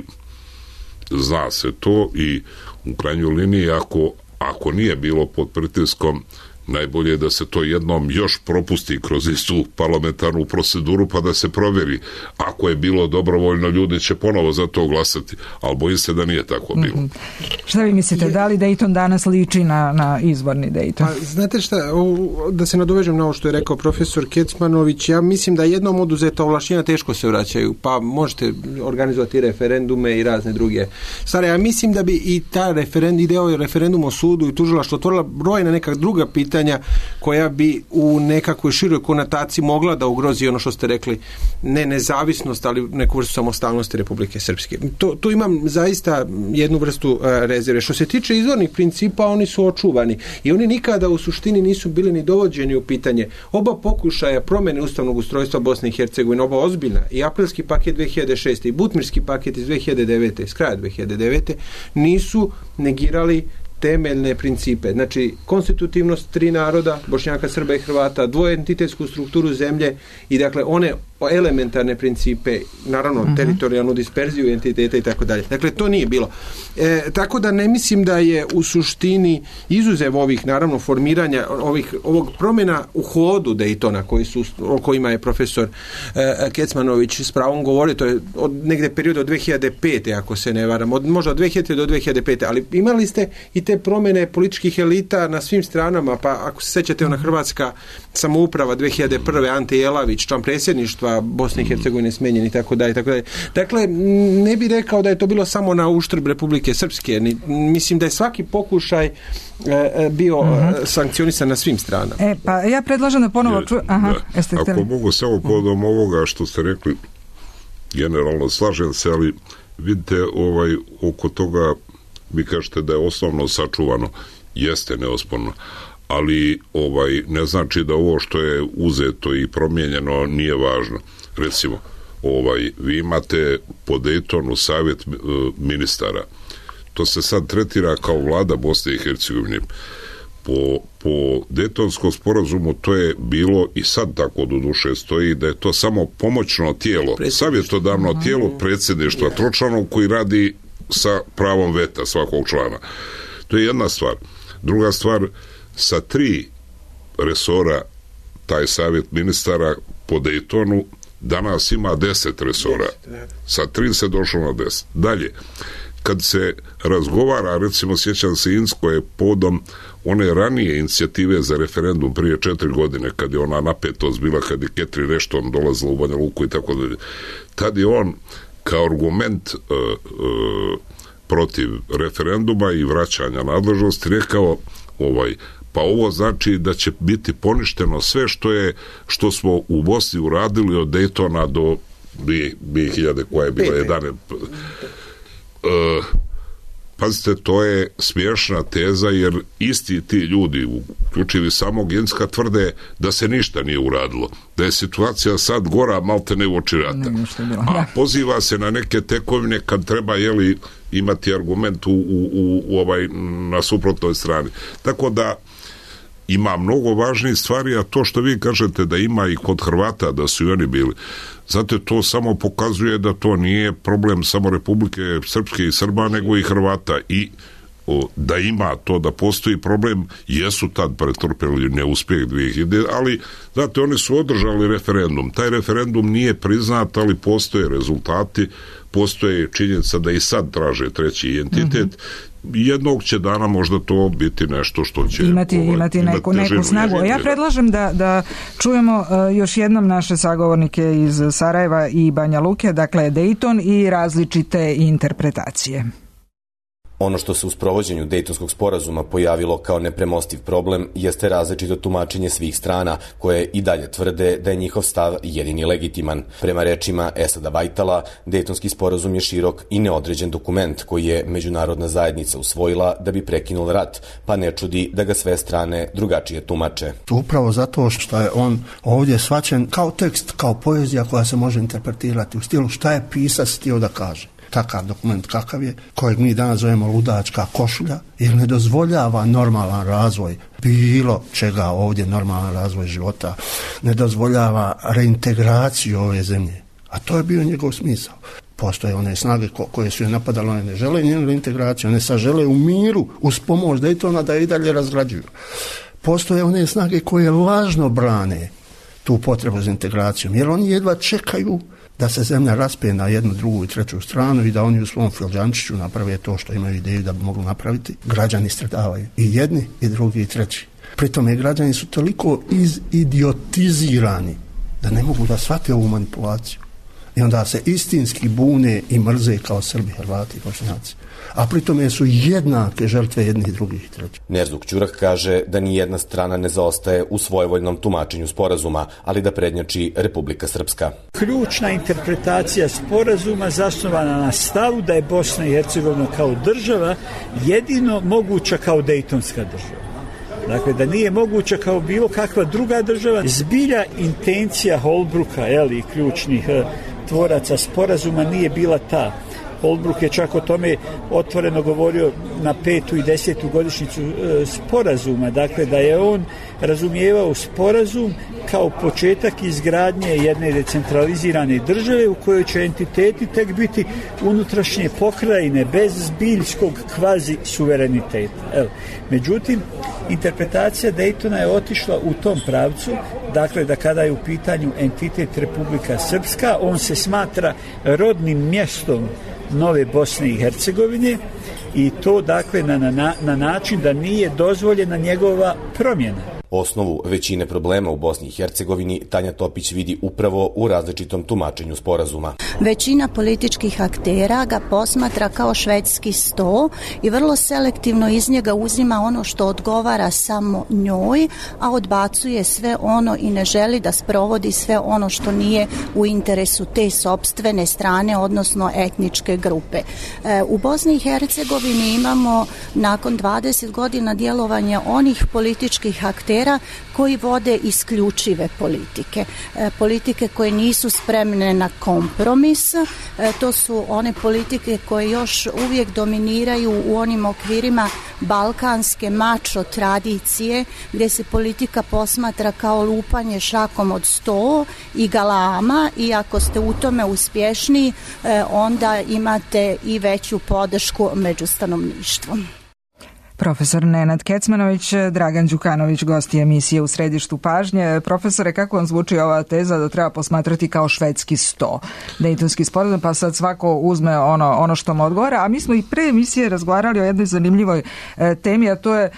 zna se to i u krajnjoj liniji ako, ako nije bilo pod pritiskom, najbolje je da se to jednom još propusti kroz istu parlamentarnu proceduru pa da se provjeri. Ako je bilo dobrovoljno, ljudi će ponovo za to glasati, ali bojim se da nije tako bilo. Mm-hmm. Šta vi mislite, da li Dayton danas liči na, na izvorni Dayton? Pa, znate šta, da se nadovežem na ovo što je rekao profesor Kecmanović, ja mislim da jednom oduzeta ovlašćenja teško se vraćaju, pa možete organizovati referendume i razne druge stvari. Ja mislim da bi i ta referendum, ideo referendum o sudu i tužilaštvo otvorila brojna neka druga pitanja koja bi u nekakvoj široj konotaciji mogla da ugrozi ono što ste rekli, ne nezavisnost, ali neku vrstu samostalnosti Republike Srpske. To, tu imam zaista jednu vrstu uh, rezerve. Što se tiče izvornih principa, oni su očuvani i oni nikada u suštini nisu bili ni dovođeni u pitanje. Oba pokušaja promjene ustavnog ustrojstva Bosne i Hercegovine, oba ozbiljna, i aprilski paket dve hiljade šeste i butmirski paket iz dve hiljade devete, iz kraja dve hiljade devete, nisu negirali temeljne principe. Znači, konstitutivnost tri naroda, Bošnjaka, Srba i Hrvata, dvoentitetsku strukturu zemlje i dakle one elementarne principe, naravno uh-huh. teritorijalnu disperziju entiteta i tako dalje. Dakle, to nije bilo. E, tako da ne mislim da je u suštini izuzev ovih, naravno, formiranja ovih, ovog promjena u hodu Daytona, koji su, o kojima je profesor e, Kecmanović s pravom govorio, to je od negde perioda od dve hiljade pete, ako se ne varam, od, možda od dve hiljade do dve hiljade pete, ali imali ste i te promjene političkih elita na svim stranama, pa ako se sećate, ona hrvatska samouprava dve hiljade prve, Ante Jelavić, član predsjedništva Bosne i Hercegovine smenjen i tako dalje, tako dalje. Dakle, ne bih rekao da je to bilo samo na uštrb Republike Srpske. Mislim da je svaki pokušaj e, bio mm-hmm. sankcionisan na svim stranama. E, pa ja predlažem da ponovo ču... Aha, da. Ako htjeli? Mogu samo podom ovoga što ste rekli, generalno slažem se, ali vidite, ovaj, oko toga vi kažete da je osnovno sačuvano. Jeste neosporno. Ali ovaj ne znači da ovo što je uzeto i promijenjeno nije važno. Recimo, ovaj vi imate po Daytonu savjet uh, ministara. To se sad tretira kao vlada Bosne i Hercegovine. Po, po Daytonskom sporazumu to je bilo i sad tako do duše stoji da je to samo pomoćno tijelo, savjetodavno tijelo predsjedništva yeah. tročlanog koji radi sa pravom veta svakog člana. To je jedna stvar. Druga stvar, sa tri resora taj savjet ministara po Daytonu danas ima deset resora. Sa tri se došlo na deset. Dalje, kad se razgovara, recimo sjećam se Insko je podom one ranije inicijative za referendum prije četiri godine, kad je ona napetost bila, kad je Catherine Ashton dolazila u Banja Luku i tako dalje. Tad je on kao argument uh, uh, protiv referenduma i vraćanja nadležnosti rekao ovaj, pa ovo znači da će biti poništeno sve što je što smo u Bosni uradili od Daytona do dvije hiljade koja je bila jedanaest. Uh, pazite, to je smiješna teza, jer isti ti ljudi, uključivi samog Inska, tvrde da se ništa nije uradilo, da je situacija sad gora malte ne uoči rata. A poziva se na neke tekovine kad treba, jeli, imati argument u, u, u, u ovaj, na suprotnoj strani. Tako da ima mnogo važnijih stvari, a to što vi kažete da ima i kod Hrvata, da su i oni bili, zato to samo pokazuje da to nije problem samo Republike Srpske i Srba, nego i Hrvata, i o, da ima to, da postoji problem, jesu tad pretrpeli neuspjeh dvije hiljade, ali znate, oni su održali referendum, taj referendum nije priznat, ali postoje rezultati, postoje činjenica da i sad traže treći entitet. Mm-hmm. Jednog će dana možda to biti nešto što će imati, ovaj, imati neku, imati neku snagu. Ja predlažem da, da čujemo uh, još jednom naše sagovornike iz Sarajeva i Banja Luke, dakle Dayton i različite interpretacije. Ono što se u sprovođenju Dejtonskog sporazuma pojavilo kao nepremostiv problem jeste različito tumačenje svih strana, koje i dalje tvrde da je njihov stav jedini legitiman. Prema rečima Esada Vajtala, Dejtonski sporazum je širok i neodređen dokument koji je međunarodna zajednica usvojila da bi prekinul rat, pa ne čudi da ga sve strane drugačije tumače. Upravo zato što je on ovdje shvaćen kao tekst, kao poezija koja se može interpretirati u stilu šta je pisac htio da kaže. Takav dokument kakav je, kojeg mi danas zovemo ludačka košulja, jer ne dozvoljava normalan razvoj bilo čega ovdje, normalan razvoj života, ne dozvoljava reintegraciju ove zemlje, a to je bio njegov smisao. Postoje one snage ko, koje su je napadale, one ne žele njenu reintegraciju, one sad žele u miru, uz pomoć Daytona da je i dalje razgrađuju. Postoje one snage koje lažno brane tu potrebu za integracijom, jer oni jedva čekaju da se zemlja raspe na jednu, drugu i treću stranu i da oni u svom filđančiću naprave to što imaju ideju da bi mogli napraviti. Građani stradavaju. I jedni, i drugi, i treći. Pritome građani su toliko izidiotizirani da ne mogu da shvate ovu manipulaciju. I onda se istinski bune i mrze kao Srbi, Hrvati i Bošnjaci. A pritome su jednake žrtve jednih, drugih i trećih. Nerzuk Ćurak kaže da ni jedna strana ne zaostaje u svojevoljnom tumačenju sporazuma, ali da prednjači Republika Srpska. Ključna interpretacija sporazuma zasnovana na stavu da je Bosna i Hercegovina kao država jedino moguća kao Dejtonska država. Dakle, da nije moguća kao bilo kakva druga država. Zbilja intencija Holbrooka, jel, i ključnih eh, tvoraca sporazuma nije bila ta. Holbrook je čak o tome otvoreno govorio na petu i desetu godišnjicu e, sporazuma, dakle da je on razumijevao sporazum kao početak izgradnje jedne decentralizirane države u kojoj će entiteti tek biti unutrašnje pokrajine bez zbiljskog kvazi suvereniteta. Evo. Međutim, interpretacija Daytona je otišla u tom pravcu, dakle da kada je u pitanju entitet Republika Srpska, on se smatra rodnim mjestom nove Bosne i Hercegovine i to dakle na, na, na način da nije dozvoljena njegova promjena. Osnovu većine problema u Bosni i Hercegovini Tanja Topić vidi upravo u različitom tumačenju sporazuma. Većina političkih aktera ga posmatra kao švedski sto i vrlo selektivno iz njega uzima ono što odgovara samo njoj, a odbacuje sve ono i ne želi da sprovodi sve ono što nije u interesu te sopstvene strane, odnosno etničke grupe. U Bosni i Hercegovini imamo nakon dvadeset godina djelovanja onih političkih aktera koji vode isključive politike. E, politike koje nisu spremne na kompromis. E, to su one politike koje još uvijek dominiraju u onim okvirima balkanske mačo tradicije, gdje se politika posmatra kao lupanje šakom od sto i galama, i ako ste u tome uspješni, e, onda imate i veću podršku među stanovništvom. Profesor Nenad Kecmanović, Dragan Đukanović, gosti emisije U središtu pažnje. Profesore, kako vam zvuči ova teza da treba posmatrati kao švedski sto Dejtonski sporazum, pa sad svako uzme ono, ono što mu odgovara, a mi smo i pre emisije razgovarali o jednoj zanimljivoj e, temi, a to je e,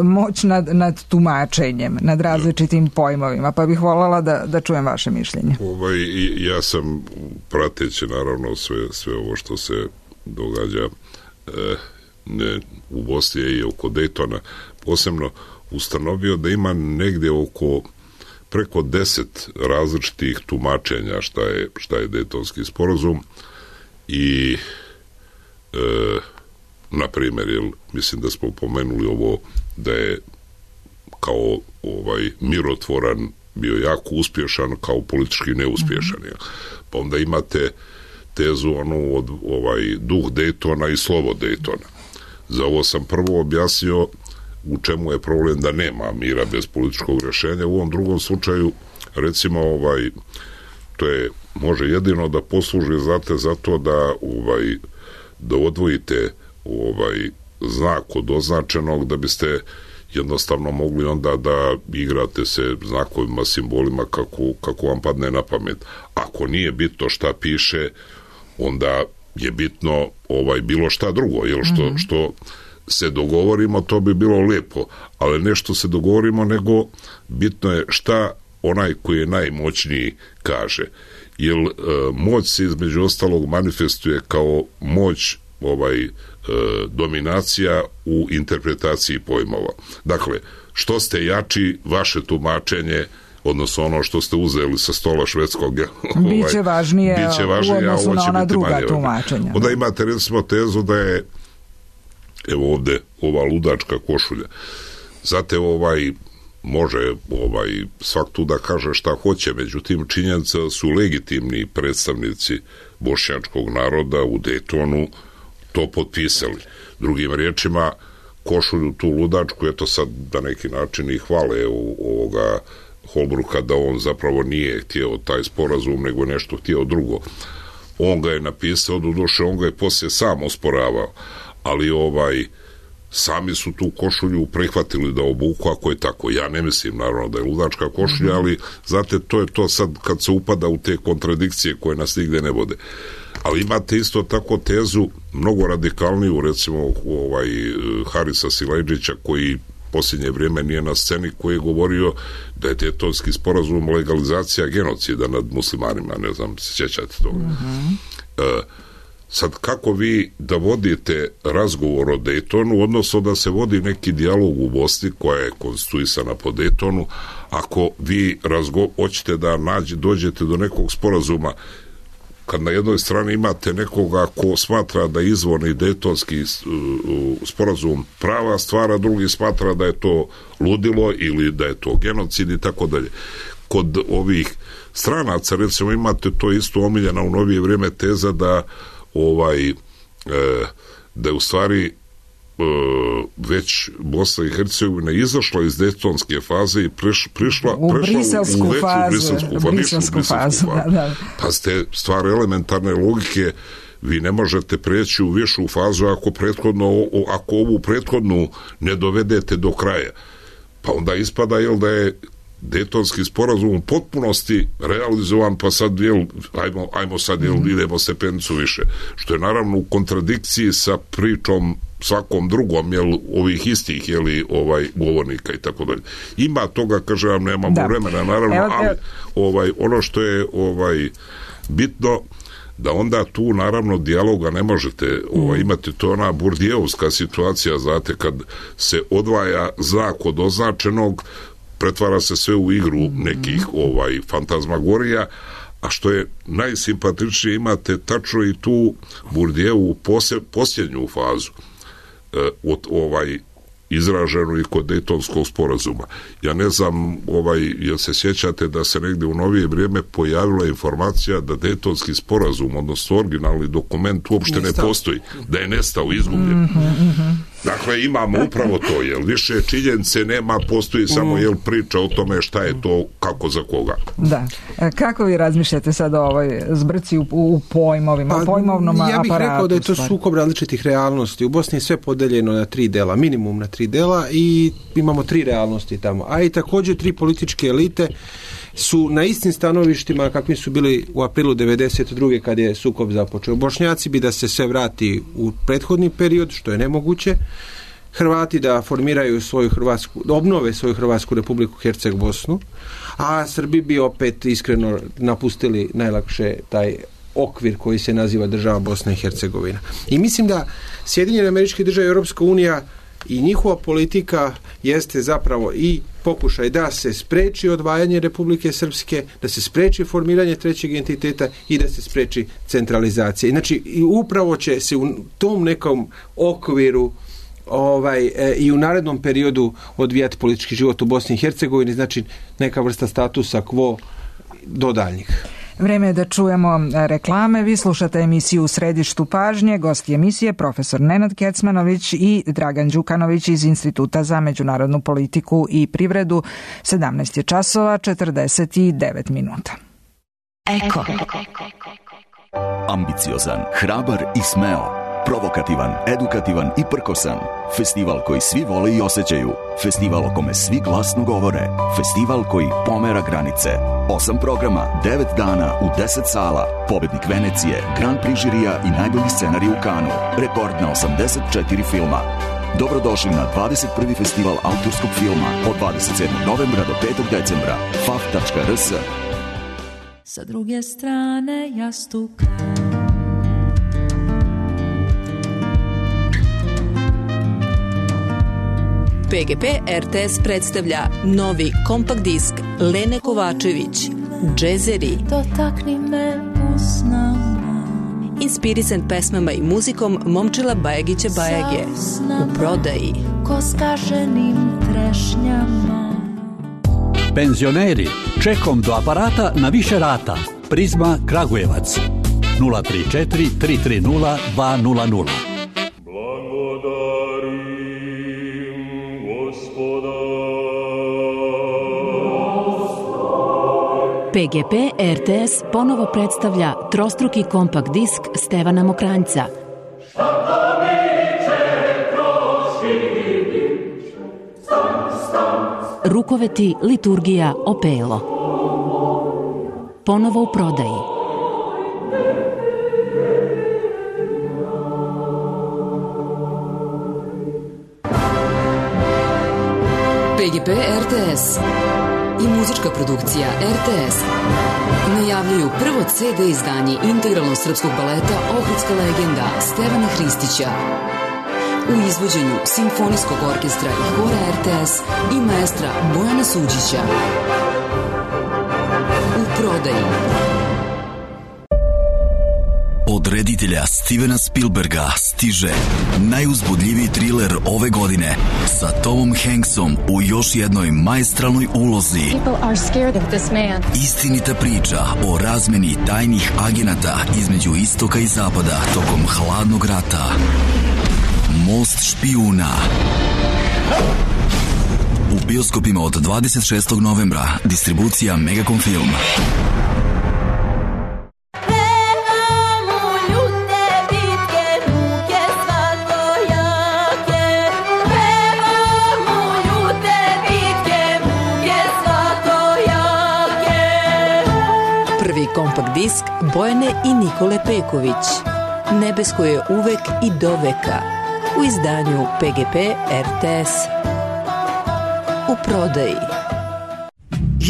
moć nad, nad tumačenjem, nad različitim pojmovima, pa bih voljela da, da čujem vaše mišljenje. Ovaj, ja sam prateći naravno sve, sve ovo što se događa e, ne, u Bosni i oko Dejtona posebno ustanovio da ima negdje oko preko deset različitih tumačenja šta je, šta je Dejtonski sporazum i e, na primjer, jel, mislim da smo pomenuli ovo da je kao ovaj mirotvoran bio jako uspješan, kao politički neuspješan. Jel. Pa onda imate tezu onu od ovaj duh Dejtona i slovo Dejtona. Za ovo sam prvo objasnio u čemu je problem da nema mira bez političkog rješenja. U ovom drugom slučaju, recimo, ovaj, to je, može jedino da posluži, znate, zato da, ovaj, da odvojite ovaj, znak od označenog, da biste jednostavno mogli onda da igrate se znakovima, simbolima kako, kako vam padne na pamet. Ako nije bitno šta piše, onda je bitno ovaj bilo šta drugo, jer što, mm-hmm. što se dogovorimo, to bi bilo lijepo, ali ne što se dogovorimo, nego bitno je šta onaj koji je najmoćniji kaže. Jer e, moć se između ostalog manifestuje kao moć ovaj e, dominacija u interpretaciji pojmova. Dakle, što ste jači, vaše tumačenje, odnosno ono što ste uzeli sa stola švedskog, ovaj, biće važnije, biće važnije u odnosu na ona druga manje. tumačenja. Onda imate recimo tezu da je, evo ovdje, ova ludačka košulja. Znate, ovaj, može ovaj, svak tu da kaže šta hoće, međutim činjenica su legitimni predstavnici bošnjačkog naroda u Dejtonu to potpisali. Drugim riječima, košulju tu ludačku, eto sad na neki način i hvale u ovoga Holbrooka da on zapravo nije htio taj sporazum, nego nešto htio drugo. On ga je napisao, doduše on ga je poslije sam osporavao, ali ovaj sami su tu košulju prihvatili da obuku, ako je tako. Ja ne mislim naravno da je ludačka košulja, mm-hmm. ali znate, to je to sad kad se upada u te kontradikcije koje nas nigde ne vode. Ali imate isto tako tezu mnogo radikalniju, recimo ovaj Harisa Silajdžića, koji posljednje vrijeme nije na sceni, koji je govorio da je Dejtonski sporazum legalizacija genocida nad muslimanima, ne znam, sjećate toga. Mm-hmm. E, sad, kako vi da vodite razgovor o Dejtonu, odnosno da se vodi neki dijalog u Bosni koja je konstituisana po Dejtonu, ako vi razgo- hoćete da nađe, dođete do nekog sporazuma, kad na jednoj strani imate nekoga ko smatra da izvorni Dejtonski uh, sporazum prava stvar, a drugi smatra da je to ludilo ili da je to genocid i tako dalje. Kod ovih stranaca, recimo, imate to isto omiljena u novije vrijeme teza da ovaj e, da je u stvari e, već Bosna i Hercegovina izašla iz Dejtonske faze i priš, prišla, u prešla briselsku u, u veću fazu, briselsku, u briselsku fazu. fazu. Da, da. Pa ste stvar elementarne logike, vi ne možete preći u višu fazu ako prethodno, ako ovu prethodnu ne dovedete do kraja. Pa onda ispada, jel, da je Dejtonski sporazum u potpunosti realizovan, pa sad, jel, ajmo, ajmo sad, jel, mm-hmm. idemo stepenicu više. Što je naravno u kontradikciji sa pričom svakom drugom, jel, ovih istih, jeli, ovaj, govornika i tako dalje. Ima toga, kaže vam, nemamo da. vremena, naravno, evo, ali ovaj, ono što je ovaj, bitno, da onda tu naravno dijaloga ne možete ovaj, imati, to ona burdijevska situacija, znate, kad se odvaja znak od označenog, pretvara se sve u igru nekih ovaj fantazmagorija, a što je najsimpatičnije, imate tačno i tu Burdijevu posljednju fazu e, od ovaj izraženu i kod Dejtonskog sporazuma. Ja ne znam, ovaj, jel se sjećate da se negdje u novije vrijeme pojavila informacija da Dejtonski sporazum, odnosno originalni dokument, uopšte nestao. ne postoji, da je nestao, izgubljen. Mm-hmm. Dakle, imamo upravo to, jel više činjenice nema, postoji samo jel priča o tome šta je to, kako za koga. Da. Kako vi razmišljate sad o ovoj zbrci u, u pojmovima, pa, pojmovnom aparatu? Ja bih aparatu, rekao da je to stvar. sukob različitih realnosti. U Bosni je sve podeljeno na tri dela, minimum na tri dela i imamo tri realnosti tamo. A i također tri političke elite su na istim stanovištima kakvi su bili u aprilu devedeset druge kad je sukob započeo. Bošnjaci bi da se sve vrati u prethodni period, što je nemoguće. Hrvati da formiraju svoju Hrvatsku, da obnove svoju Hrvatsku Republiku Herceg Bosnu, a Srbi bi opet iskreno napustili najlakše taj okvir koji se naziva država Bosna i Hercegovina. I mislim da Sjedinjene Američke Države i Europska unija i njihova politika jeste zapravo i pokušaj da se spreči odvajanje Republike Srpske, da se spreči formiranje trećeg entiteta i da se spreči centralizacija. Znači, i upravo će se u tom nekom okviru ovaj, e, i u narednom periodu odvijati politički život u Bosni i Hercegovini, znači neka vrsta statusa quo do daljnjih. Vreme je da čujemo reklame. Vi slušate emisiju U središtu pažnje. Gosti emisije profesor Nenad Kecmanović i Dragan Đukanović iz Instituta za međunarodnu politiku i privredu. sedamnaest je časova, četrdeset devet minuta. Eko. Ambiciozan, hrabar i smeo. Provokativan, edukativan i prkosan. Festival koji svi vole i osjećaju. Festival o kome svi glasno govore. Festival koji pomera granice. Osam programa, devet dana u deset sala. Pobednik Venecije, Grand Prix žirija i najbolji scenarij u Kanu. Rekord na osamdeset četiri filma. Dobrodošli na dvadeset prvi festival autorskog filma od dvadeset sedmog novembra do petog decembra. f a f tačka r s. Sa druge strane jastuka. P G P R T S predstavlja novi kompakt disk Lene Kovačević, Džezeri. Dotakni me usnama. Inspirisan pesmama i muzikom Momčila Bajagića Bajage. U prodaji. Ko skaženim trešnjama. Penzioneri, čekom do aparata na više rata. Prizma Kragujevac. nula tri četiri tri tri nula dva nula nula. P G P R T S ponovo predstavlja trostruki kompakt disk Stevana Mokranjca. Rukoveti, liturgija, opelo. Ponovo u prodaji. P G P R T S i muzička produkcija R T S najavljuju prvo C D izdanje integralnog srpskog baleta Ohridska legenda Stevana Hristića u izvođenju Simfonijskog orkestra i hora R T S i maestra Bojana Suđića. U prodaji. Od reditelja Stevena Spielberga stiže najuzbudljiviji triler ove godine sa Tomom Hanksom u još jednoj maestralnoj ulozi. Istinita priča o razmeni tajnih agenata između istoka i zapada tokom hladnog rata. Most špijuna. U bioskopima od dvadeset šestog novembra. Distribucija Megacom Film. Kompakt disk Bojane i Nikole Peković. Nebesko je uvek i doveka. U izdanju P G P R T S. U prodaji.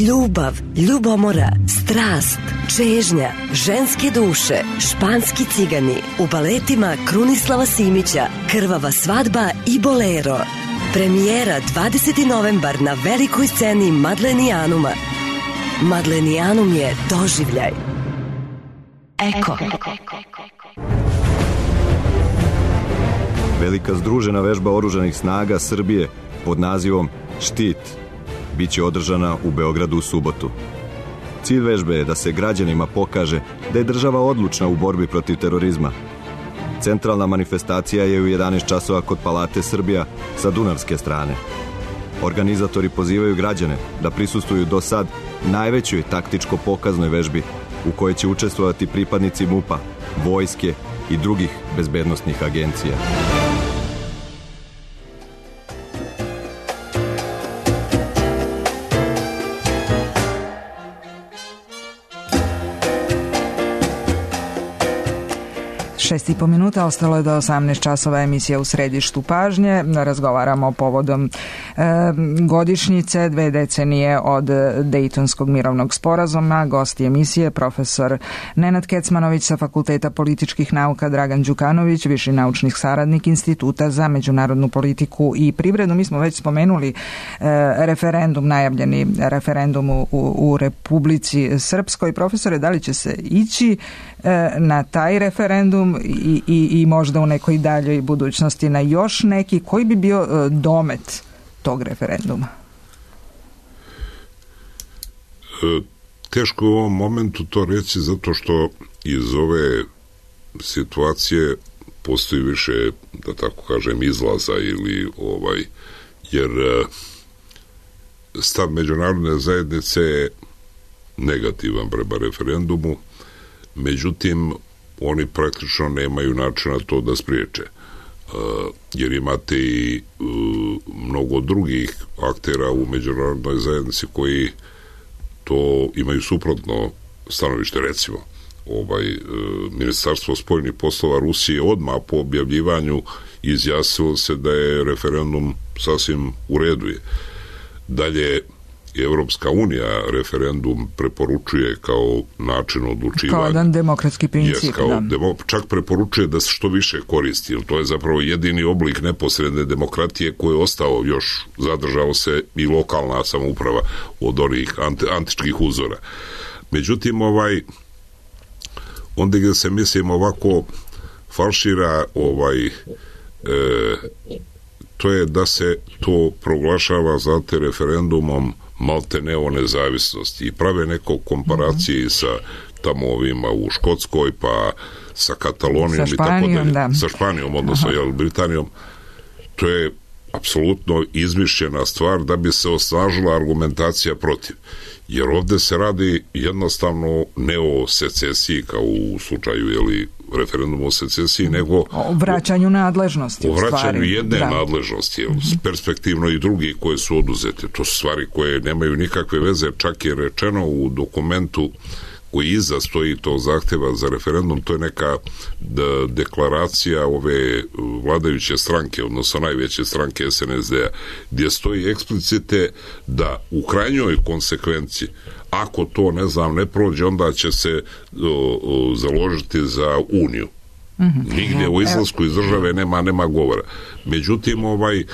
Ljubav, ljubomora, strast, čežnja, ženske duše, španski cigani. U baletima Krunislava Simića, Krvava svadba i Bolero. Premijera dvadeseti novembar na velikoj sceni Madlenijanuma. Madlenijanum je doživljaj. Eko. Velika združena vežba oružanih snaga Srbije pod nazivom Štit biće održana u Beogradu u subotu. Cilj vežbe je da se građanima pokaže da je država odlučna u borbi protiv terorizma. Centralna manifestacija je u jedanaest časova kod Palate Srbija sa dunavske strane. Organizatori pozivaju građane da prisustvuju do sad najvećoj taktičko-pokaznoj vežbi u kojoj će učestvovati pripadnici MUP-a, vojske i drugih bezbednosnih agencija. Šest i po minuta, ostalo je do osamnaest časova emisija U središtu pažnje. Razgovaramo povodom e, godišnjice, dve decenije od Dejtonskog mirovnog sporazuma. Gosti emisije profesor Nenad Kecmanović sa Fakulteta političkih nauka, Dragan Đukanović, viši naučni saradnik Instituta za međunarodnu politiku i privredu. Mi smo već spomenuli e, referendum, najavljeni referendum u, u Republici Srpskoj. Profesore, da li će se ići e, na taj referendum I, i, i možda u nekoj daljoj budućnosti na još neki, koji bi bio e, domet tog referenduma? E, teško je u ovom momentu to reći, zato što iz ove situacije postoji više, da tako kažem, izlaza ili ovaj, jer e, stav međunarodne zajednice je negativan prema referendumu, međutim oni praktično nemaju načina to da spriječe. Uh, jer imate i uh, mnogo drugih aktera u međunarodnoj zajednici koji to imaju suprotno stanovište. Recimo, ovaj, uh, Ministarstvo spoljnih poslova Rusije odmah po objavljivanju izjasnilo se da je referendum sasvim u redu. Dalje, Evropska unija referendum preporučuje kao način odlučivanja. Kao jedan demokratski princip. Yes, kao demo, čak preporučuje da se što više koristi, jer to je zapravo jedini oblik neposredne demokratije koji je ostao još, zadržao se i lokalna samouprava od onih anti, antičkih uzora. Međutim, ovaj, onda gdje se, mislim, ovako falšira ovaj... E, to je da se to proglašava za te referendumom malte ne o nezavisnosti i prave neko komparacije mm-hmm. sa tamo ovima u Škotskoj, pa sa Katalonijom sa i tako dalje, da. sa Španijom, odnosno jel, Britanijom. To je apsolutno izmišljena stvar da bi se osnažila argumentacija protiv. Jer ovdje se radi jednostavno ne o secesiji kao u slučaju jeli, referendumu o secesiji, nego o vraćanju nadležnosti. O vraćanju stvari. jedne da. nadležnosti, jel, perspektivno i drugi koje su oduzete. To su stvari koje nemaju nikakve veze, čak je rečeno u dokumentu koji iza stoji to zahteva za referendum, to je neka de- deklaracija ove vladajuće stranke, odnosno najveće stranke es en es de a, gdje stoji eksplicite da u krajnjoj konsekvenci, ako to, ne znam, ne prođe, onda će se o, o, založiti za uniju. Mm-hmm. Nigdje u izlasku iz države nema, nema govora. Međutim, ovaj,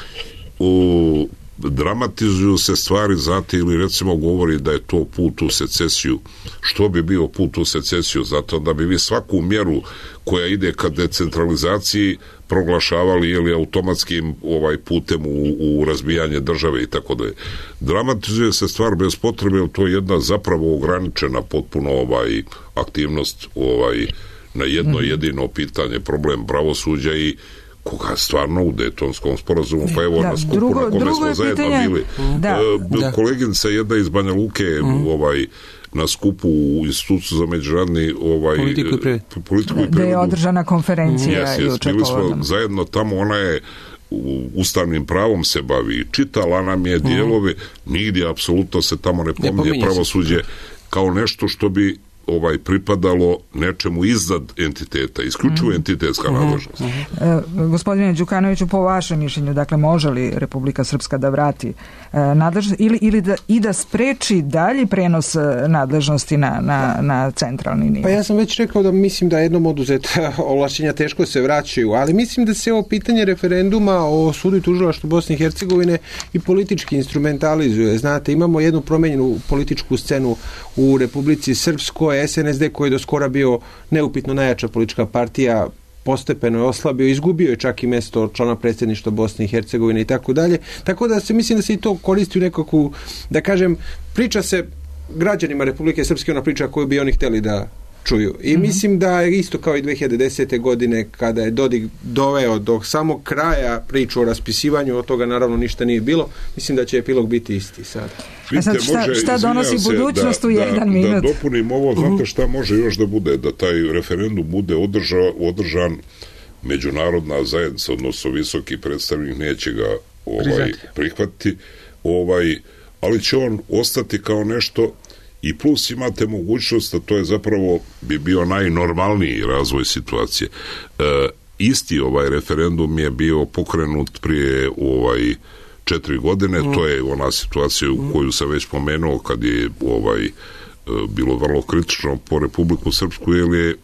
u dramatizuju se stvari, znate, ili recimo govori da je to put u secesiju. Što bi bio put u secesiju? Zato da bi vi svaku mjeru koja ide ka decentralizaciji proglašavali ili automatskim ovaj putem u, u razbijanje države i tako da je. Dramatizuje se stvar bez potrebe, jer to je jedna zapravo ograničena potpuno ovaj aktivnost ovaj na jedno jedino pitanje, problem pravosuđa i koga stvarno u Dejtonskom sporazumu, pa evo da, na skupu drugo, na kome smo zajedno pitanje, bili. Da, da. Koleginica jedna iz Banja Luke, mm. ovaj, na skupu u Institutu za međunarodni ovaj, politiku i privredu. Da je održana konferencija. Mm. Yes, yes, bili smo zajedno tamo, ona je ustavnim pravom se bavi, čitala nam je dijelove, mm. nigdje apsolutno se tamo ne pominje ne pravosuđe se. Kao nešto što bi ovaj pripadalo nečemu iznad entiteta, isključivo mm. entitetska nadležnost. Mm. E, gospodine Đukanoviću, po vašem mišljenju, dakle, može li Republika Srpska da vrati e, nadležnost ili, ili da, i da spreči dalji prenos nadležnosti na, na, na centralni nivo? Pa ja sam već rekao da mislim da jednom oduzeta ovlašćenja teško se vraćaju, ali mislim da se ovo pitanje referenduma o sudu i tužilaštvu Bosne i Hercegovine i politički instrumentalizuje. Znate, imamo jednu promenjenu političku scenu u Republici Srpskoj. es en es de koji je do skora bio neupitno najjača politička partija, postepeno je oslabio, izgubio je čak i mjesto člana predsjedništva Bosne i Hercegovine i tako dalje. Tako da se mislim da se i to koristi u nekakvu, da kažem, priča se građanima Republike Srpske, ona priča koju bi oni htjeli da čuju. I mm-hmm. mislim da je isto kao i dve hiljade desete. godine kada je Dodik doveo do samog kraja priču o raspisivanju, od toga naravno ništa nije bilo, mislim da će epilog biti isti sad. A sad šta, može, šta donosi budućnost da, u jedan da, minut? Da dopunim ovo, znate šta može još da bude, da taj referendum bude održa, održan međunarodna zajednica, odnosno visoki predstavnik neće ga ovaj, prihvatiti, ovaj, ali će on ostati kao nešto. I plus imate mogućnost, a to je zapravo bi bio najnormalniji razvoj situacije. E, isti ovaj referendum je bio pokrenut prije ovaj četiri godine, mm. to je ona situacija u koju sam već pomenuo kad je ovaj bilo vrlo kritično po Republiku Srpsku, jer je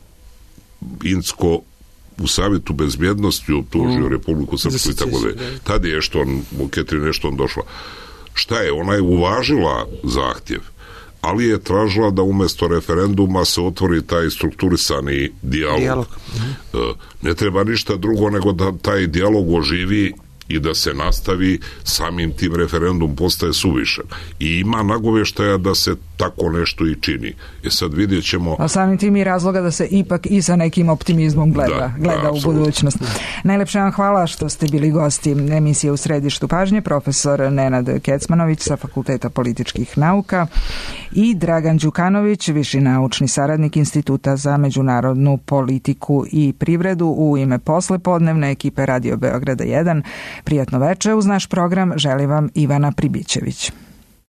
Incko u Savjetu bezbjednosti optužio mm. Republiku Srpsku i tako da. Tad je što on, u Ketri nešto on došla. Šta je? Ona je uvažila zahtjev, ali je tražila da umjesto referenduma se otvori taj strukturisani dijalog. dijalog. Ne treba ništa drugo nego da taj dijalog oživi i da se nastavi, samim tim referendum postaje suvišan. I ima nagovještaja da se tako nešto i čini. E sad vidjet ćemo... A samim tim i razloga da se ipak i sa nekim optimizmom gleda, da, gleda da, u budućnost. Najlepše vam hvala što ste bili gosti emisije U središtu pažnje, profesor Nenad Kecmanović sa Fakulteta političkih nauka i Dragan Đukanović, viši naučni saradnik Instituta za međunarodnu politiku i privredu. U ime poslepodnevne ekipe Radio Beograda jedan, prijatno veče. Uz naš program želi vam Ivana Pribićević.